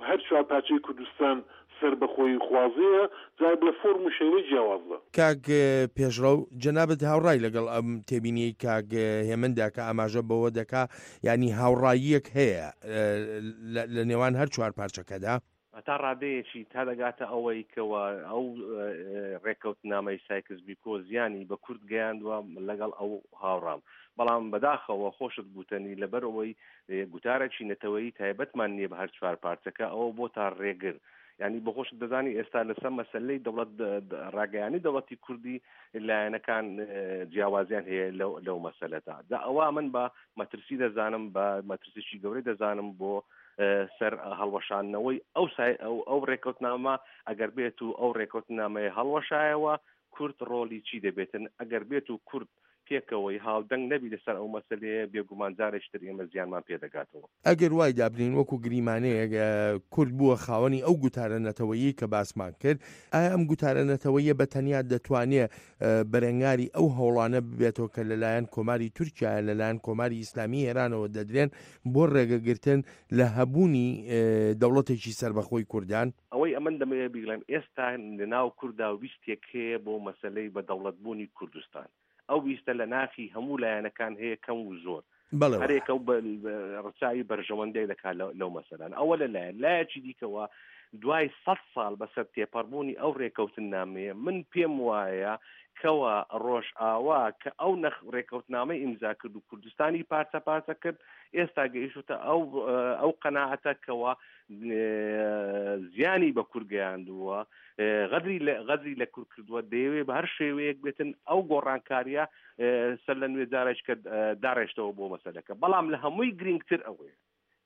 هەر چوار پارچەی کوردستان سەربەخۆیی خوازەیە، جا لە فۆرم و شێوەی جیاوازە. کاک، ئە، پێشڕەو، جەنابەت هاوڕای لەگەڵ ئەم تێبینیەی کاک، ئە، هێمندا کە ئاماژە بەوە دەکا، یعنی هاوڕاییەک هەیە، ئە، لە، لە نێوان هەر چوار پارچەکەدا؟ تا ڕادەیەکی تا دەگاتە ئەوەی کەوە ئەو، ئە، ڕێکەوتنامەی سایکس بیکۆ زیانی بە کورد گەیاندووە، لەگەڵ ئەو هاوڕام. بەڵام بەداخەوە خۆشت گوتەنی، لەبەر ئەوەی، ئە، گوتارێکی نەتەوەیی تایبەتمان نییە بە هەر چوار پارچەکە، ئەوە بۆ تا ڕێگر. یعنی بە خۆشت دەزانی ئێستا لەسەر مەسلەی دەوڵەت، دە-، دە-، ڕاگەیانی دەوڵەتی کوردی لایەنەکان، ئە، جیاوازیان هەیە لەو، لەو مەسلەدا. دا ئەوە من بە مەترسی دەزانم، بە مەترسیی گەورەی دەزانم بۆ، ئە، سەر هەڵوەشاندنەوەی ئەو سای-، ئەو، ئەو ڕێکەوتنامە. ئەگەر بێت و ئەو ڕێکەوتنامەیە هەڵوەشایەوە، کورد ڕۆلی چی دەبێتن؟ ئەگەر بێت و کورد پێکەوەی هاودەنگ نەبی لەسەر ئەو مەسلەیە، بێگومان جارێکی تر ئێمە زیانمان پێدەگاتەوە. ئەگەر وای دابنین وەکو گریمانەیەک، ئە، کورد بووە خاوەنی ئەو گوتارە نەتەوەیی کە باسمان کرد، ئایا ئەم گوتارە نەتەوەیە بە تەنیا دەتوانێ، ئە، بەرەنگاری ئەو هەوڵانە ببێتەوە کە لەلایەن کۆماری تورکیایە، لەلایەن کۆماری ئیسلامی ئێرانەوە دەدرێن بۆ ڕێگەگرتن لە هەبوونی، ئێ، دەوڵەتێکی سەربەخۆی کوردان؟ ئەوەی ئەمن دەمەوێت بیڵێم، ئێستا لە ناو کووردا ویستێک هەیە بۆ مەسلەی بە دەوڵەتبوونی کوردستان. ئەو ویستە لە ناخی هەموو لایەنەکان هەیە، کەم و زۆر. بەڵێ، هەرێکە و بە-، بە-، ڕچاوی بەرژەوەندەی دەکات لەو، لەو مەسەلان. ئەوە لە لایەن، لایەکی دیکەوە دوای سەد ساڵ بەسەر تێپەڕبوونی ئەو ڕێکەوتننامەیە، من پێم وایە کەوا ڕۆژئاوا کە ئەو نەخ-، ڕێکەوتنامەی ئیمزا کرد و کوردستانی پارچە پارچە کرد، ئێستا گەیشتە ئەو، ئەو قەناعەتە کەوا، ئێ، زیانی بە کورد گەیاندووە، ئێ، غەدری لە، غەدری لە کورد کردووە، دەیەوێ بە هەر شێوەیەک بێتن ئەو گۆڕانکاریە، ئێ، سەر لە نوێ جارێک کە، ئێ، داڕێشتەوە بۆ مەسەلەکە. بەڵام لە هەمووی گرنگتر ئەوەیە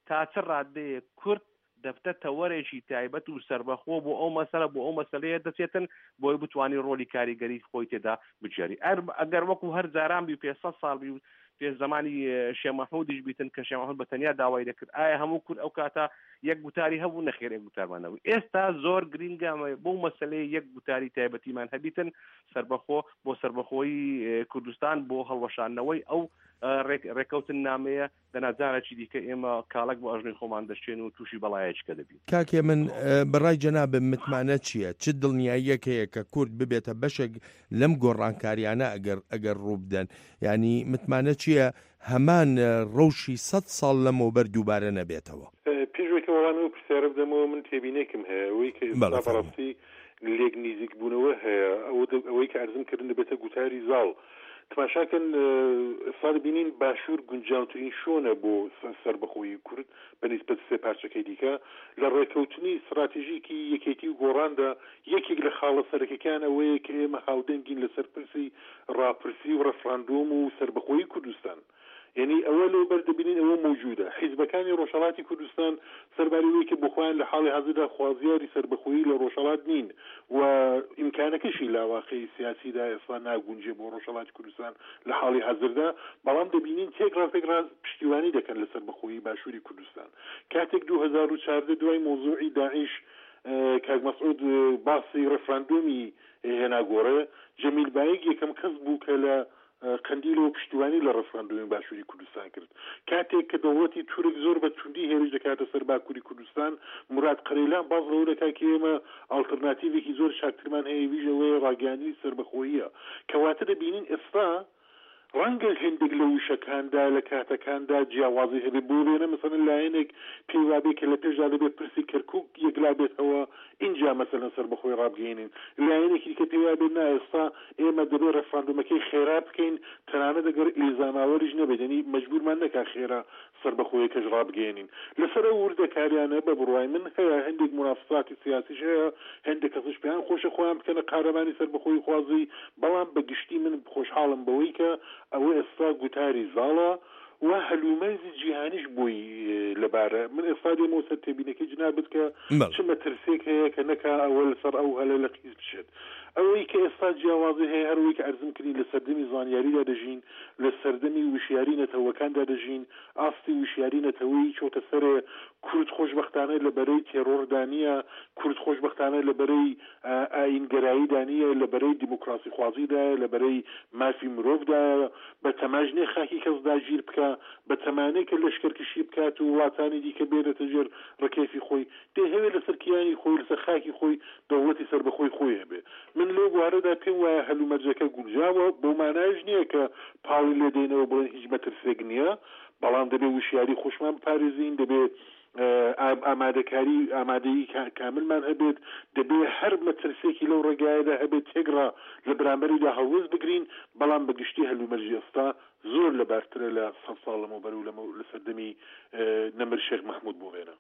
تا چ ڕادەیە کورد دەبتە تەوەرێکی تایبەت و سەربەخۆ بۆ ئەو مەسەلە، بۆ ئەو مەسەلەیە دەچێتن، بۆی بتوانێت ڕۆلی کاریگەری خۆی تێدا بجێری. ئەر-، ئەگەر وەکو هەر جاران بی، پێ سەد ساڵ بی و پێ زەمانی، ئێ، شێخ مەحموودیش بیتن کە شێخ مەحموود بە تەنیا داوای دەکرد، ئایا هەموو کورد ئەو کاتە یەک گوتاری هەبوو؟ نەخێر، یەک گوتارمان نەبوو. ئێستا زۆر گرنگە ئەمە بۆ مەسەلەی یەک گوتاری تایبەتیمان هەبیتن، سەربەخۆ، بۆ سەربەخۆیی، ئێ، کوردستان، بۆ هەڵوەشاندنەوەی ئەو، ئێ، ڕێک-، ڕێکەوتننامەیە. دەنا جارێکی دیکە ئێمە کاڵک بۆ ئەژنۆی خۆمان دەشێن و تووشی بەڵایەکە دەبین. کاکێ من، ئێ، بەڕای جەنابم متمانە چییە؟ چ دڵنیاییەک هەیە کە کورد ببێتە بەشێک لەم گۆڕانکاریانە ئەگەر، ئەگەر ڕوو بدەن؟ یعنی متمانە چییە هەمان، ئێ، ڕەوشی سەد ساڵ لەمەوبەر دووبارە نەبێتەوە؟ ئێ، پێش وەکە وەڵامی ئەو پرسیارە بدەمەوە، من تێبینێکم هەیە. ئەوەی کە ئێستا بەڕاستی لێک نزیک بوونەوە هەیە، ئەوە دە-، ئەوەی کە عەرزم کردن دەبێتە گوتاری زاڵ. تماشاکەن، ئێ، ئێستا دەبینین باشوور گونجاوترین شوێنە بۆ سە-، سەربەخۆیی کورد بە نیسبەت سێ پارچەکەی دیکە. لە ڕێکەوتنی استراتیژیکی یەکێتی و گۆڕاندا یەکێک لە خاڵە سەرەکەکان ئەوەیە کە ئێمە هاودەنگین لەسەر پرسی ڕاپرسی و ڕەفراندۆم و سەربەخۆیی کوردستان. یعنی ئەوە لەو بەر دەبینین، ئەوە موجودە. حیزبەکانی ڕۆژهەڵاتی کوردستان سەرباری ئەوەی کە بۆ خۆیان لە حاڵی حاضردا خوازیاری سەربەخۆیی لە ڕۆژهەڵات نین و ئیمکانەکەشی لە واقعی سیاسیدا ئێستا ناگونجێ بۆ ڕۆژهەڵاتی کوردستان لە حاڵی حاضردا، بەڵام دەبینین تێک ڕاست تێک ڕاست پشتیوانی دەکەن لە سەربەخۆیی باشووری کوردستان. کاتێک دوو هەزار و چاردە دوای مۆزوعی داعش، ئێ، کاک مەسعود، ئێ، باسی ڕەفراندۆمی هێنا گۆڕێ، جەمیل بایگ یەکەم کەس بوو کە لە، ئێ، قەندیلەوە پشتیوانی لە ڕەفراندۆمی باشووری کوردستان کرد. کاتێک کە دەوڵەتی تورک زۆر بە توندی هێرش دەکاتە سەر باکووری کوردستان، مراد قەرەیلان باز لەوە دەکات کە ئێمە ئاڵترناتیڤێکی زۆر چاکترمان هەیە، ویژە وەیە ڕاگەیاندنی سەربەخۆییە. کەواتە دەبینین ئێستا ڕەنگە هەندێک لە وشەکاندا، لە کاتەکاندا جیاوازی هەبێ. بۆ وێنە، مەسەلەن، لایەنێک پێی وابێ کە لە پێشدا دەبێت پرسی کەرکووک یەکلا بێتەوە، اینجا، مەسەلەن، سەربەخۆی ڕابگەێنین. لایەنێکی دیکە پێی وابێ، نا، ئێستا ئێمە دەبێت ڕێفراندۆمەکەی خێرا بکەین، تەنانەت ئەگەر ئیلزاماوەریش نەبێت، یعنی، مەجبورمان نەکا خێرا سەربەخۆیەکەش ڕابگەێنین. لەسەر ئەو وردەکاریانە، بە بڕوای من، هەیە هەندێک منافساتی سیاسیش هەیە، هەندێک کەسش پێیان خۆشە خۆیان بکەنە قارەمانی سەربەخۆی خوازی، بەڵام بە گشتی من خۆشحاڵم بەوەی کە ئەوە ئێستا گوتاری زاڵە و هەلومەرجی جیهانیش بۆی، ئێ، لەبارە. من ئێستا دێمەوە سەر تێبینەکەی جنابت کە بەڵێ. چ مەترسێک هەیە کە نەکا ئەوە لەسەر ئەو هەلە لە قیز بچێت. ئەوەی کە ئێستا جیاوازی هەیە، هەر ئەوەی کە ئەرزم کردین، لە سەردەمی زانیاریدا دەژین، لە سەردەمی وشیاری نەتەوەکاندا دەژین، ئاستی وشیاری نەتەوەی چۆتە سەرێ. کورد خۆشبەختانە لە بەرەی تێرۆردا نییە، کورد خۆشبەختانە لە بەرەی، ئە، ئایینگەراییدا نییە، لە بەرەی دیموکراسی خوازیدایە، لە بەرەی مافی مرۆڤدایە. بە تەماش نییە خاکی کەس داگیر بکە، بە تەمانەی کە لەشکەرکشی بکات و وڵاتانی دیکە بێنێتە ژێر ڕکێفی خۆی. دەیهەوێت لەسەر کیانی خۆی، لەسەر خاکی خۆی دەوڵەتی سەربەخۆی خۆی هەبێ. من لەو بوارەدا پێم وایە هەلومەرجەکە گونجاوە، بۆ مانایش نییە کە پاڵی لێ دەینەوە بڵێن هیچ مەترسێک نییە، بەڵام دەبێ وشیاری خۆشمان بپارێزین، دەبێ، ئە، ئام-، ئامادەکاری، ئامادەیی کا-، کاملمان هەبێت، دەبێ هەر مەترسێکی لەو ڕێگایەدا هەبێت، تێکڕا لە بەرامبەریدا هەڵوێست بگرین، بەڵام بە گشتی هەلومەرجی ئێستا زۆر لەبارترە لە سەد ساڵ لەمەوبەر و لەمە-، لە سەردەمی، ئە، نەمر شێخ مەحموود بۆ وێنە.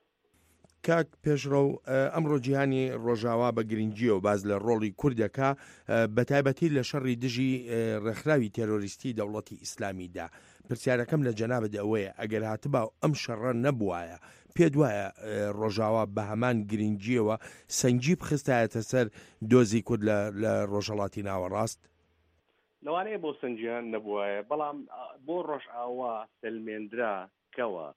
کاک پێشڕەو، ئە، ئەمڕۆ جیهانی ڕۆژاوا بە گرنگیەوە باز لە ڕۆڵی کورد دەکا، ئە، بە تایبەتی لە شەڕی دژی، ئە، ڕێکخراوی تێرۆریستی دەوڵەتی ئیسلامیدا. پرسیارەکەم لە جەنابت ئەوەیە، ئەگەر هاتبا ئەم شەڕە نەبوایە، پێت وایە، ئە، ڕۆژاوا بە هەمان گرنگیەوە سەنگی بخستایەتە سەر دۆزی کورد لە، لە ڕۆژهەڵاتی ناوەڕاست؟ لەوانەیە بۆ سەنگیان نەبوایە، بەڵام، ئە، بۆ ڕۆژاوا سەلمێندرا کەوە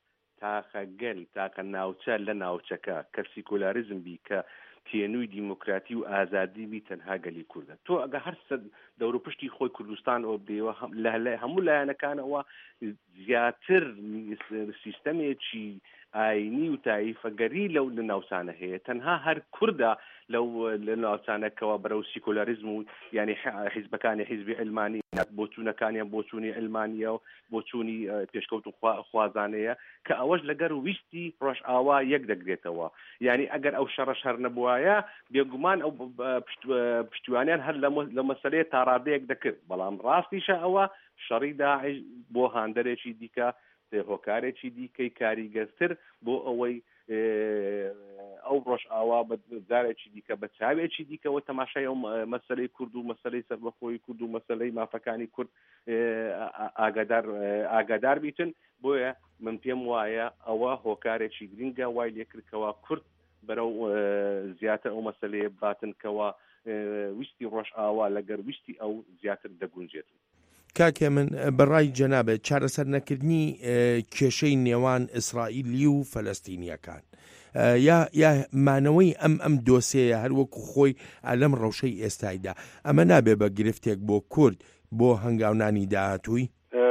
تاقە گەل، تاقە ناوچە لە ناوچەکە کە سیکۆلاریزم بی، کە تێنووی دیموکراتی و ئازادی بی، تەنها گەلی کوردە. تۆ ئەگە هەر سەر دەوروپشتی خۆی کوردستان ئەوە بدەیەوە، هەم-، لە، لە هەموو لایەنەکانەوە زیاتر سیستەمێکی ئاینی و تایفەگەری لەو لە ناوچانە هەیە. تەنها هەر کوردە لەو لە ناوچانەکەوە بەرەو سیکۆلاریزم و، یعنی، ح-، حیزبەکانی حیزبی علمانی، بۆچوونەکانیان بۆچوونی علمانیە و بۆچوونی، ئە، پێشکەوت و خوا-، خوازانەیە، کە ئەوەش لەگەر ویستی ڕۆژاوا یەک دەگرێتەوە. یعنی، ئەگەر ئەو شەڕە شەر نەبوایە، بێگومان ئەو ب-، ب-، پشت-، پشتیوانیان هەر لە مە-، لە مەسەلەیە تا ڕادەیەک دەکرد. بەڵام ڕاستیشە ئەوە شەڕی داعش بۆ هاندەرێکی دیکە، هۆکارێکی دیکەی کاریگەرتر بۆ ئەوەی، ئێ، ئەو ڕۆژاوا بە جارێکی دیکە، بە چاوێکی دیکەوە تەماشای ئەو مە-، مەسەلەی کورد و مەسەلەی سەربەخۆی کورد و مەسەلەی مافەکانی کورد، ئێ، ئا-، ئا-، ئاگادار، ئێ، ئاگادار بیتن. بۆیە من پێم وایە ئەوە هۆکارێکی گرنگە وای لێکردکەوە کورد بەرەو، ئێ، زیاتر ئەو مەسەلەیە باتن کەوە، ئێ، ویستی ڕۆژاوا لەگەر ویستی ئەو زیاتر دەگونجێت. کاکێ من، بەڕای جەنابێت چارەسەر نەکردنی، ئێ، کێشەی نێوان ئیسرائیلی و فەلەستینیەکان، ئێ، یا، یا مانەوەی ئەم، ئەم دۆسێیە هەر وەکو خۆی لەم ڕەوشەی ئێستایدا، ئەمە نابێ بە گرفتێک بۆ کورد بۆ هەنگاونانی داهاتووی؟ ئێ،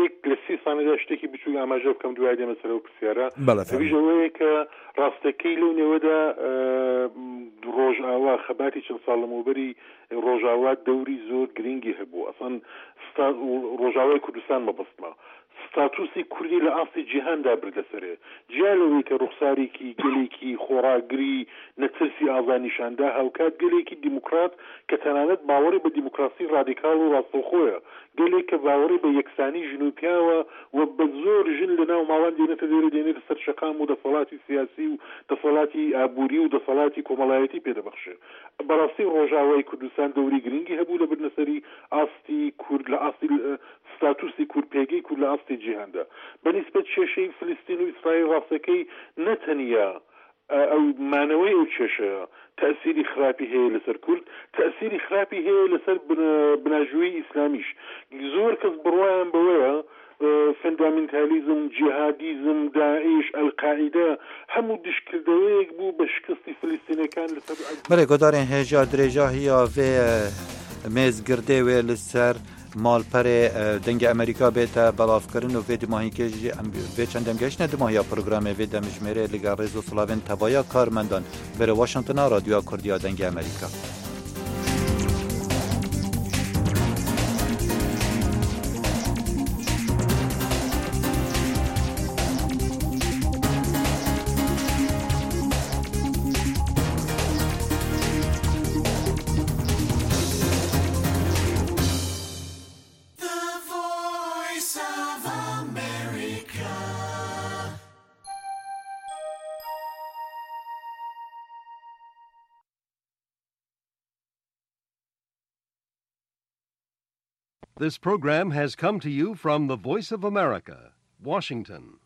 یەک لە سی سانیدا شتێکی بچووک ئاماژە بکەم، دوای دێمە سەر ئەو پرسیارە. بەڵێ، فەرموو. ئەویش ئەوەیە کە ڕاستەکەی لەو نێوەدا، ئێ، ڕۆژاوا خەباتی چەند ساڵ لەمەوبەری ڕۆژاوا دەوری زۆر گرنگی هەبوو. ئەسڵەن ستا-، ڕۆژاوای کوردستان مەبەستمە. ستاتوسی کوردی لە ئاستی جیهاندا بردە سەرێ. جیا لەوەی کە ڕوخسارێکی گەلێکی خۆڕاگری نەترسی ئازا نیشاندا، هاوکات گەلێکی دیموکرات کە تەنانەت باوەڕی بە دیموکراسی ڕادیکاڵ و ڕاستەوخۆیە. گەلێک کە باوەڕی بە یەکسانی ژن و پیاوە و بە زۆر ژن لە ناو ماڵان دێنێتە دێرە، دێنێتە سەر شەقام و دەسەڵاتی سیاسی و دەسەڵاتی ئابووری و دەسەڵاتی کۆمەڵایەتی پێدەبەخشێ. بەڕاستی ڕۆژاوای کوردستان دەوری گرنگی هەبوو لە بردنەسەری ئاستی کورد، لە ئاستی، ئە، ستاتوسی کورد، پێگەی کورد لە ئاستی جیهاندا. بە نیسبەت کێشەی فلستین و ئیسرائیل، ڕاستەکەی نەتەنیا، ئە، ئەو مانەوەی ئەو کێشەیە تەسیری خراپی هەیە لەسەر کورد، تەسیری خراپی هەیە لەسەر بن-، بناژووی ئیسلامیش. زۆر کەس بڕوایان بەوەیە، ئە، فەندامنتالیزم، جیهادیزم، داعش، ئەلقاعیدە هەموو دشکردەوەیەک بوو بە شکستی فلستینەکان لەسەر بەڵێ، گۆدارێن هێژا درێژاهیە vê, ئە، mêzgirdê wê li ser malperê, ئە، Dengê Amerîka bête belavkirin û vê dimahîkê jî em vê çend demgehiştine dimahiya programê vê demjimêrê li gel rêz û silavên tevaya karmendan. Berê Washingtona Radyoya Kurdiya Dengê Amerîka. This program has come to you from the Voice of America, Washington.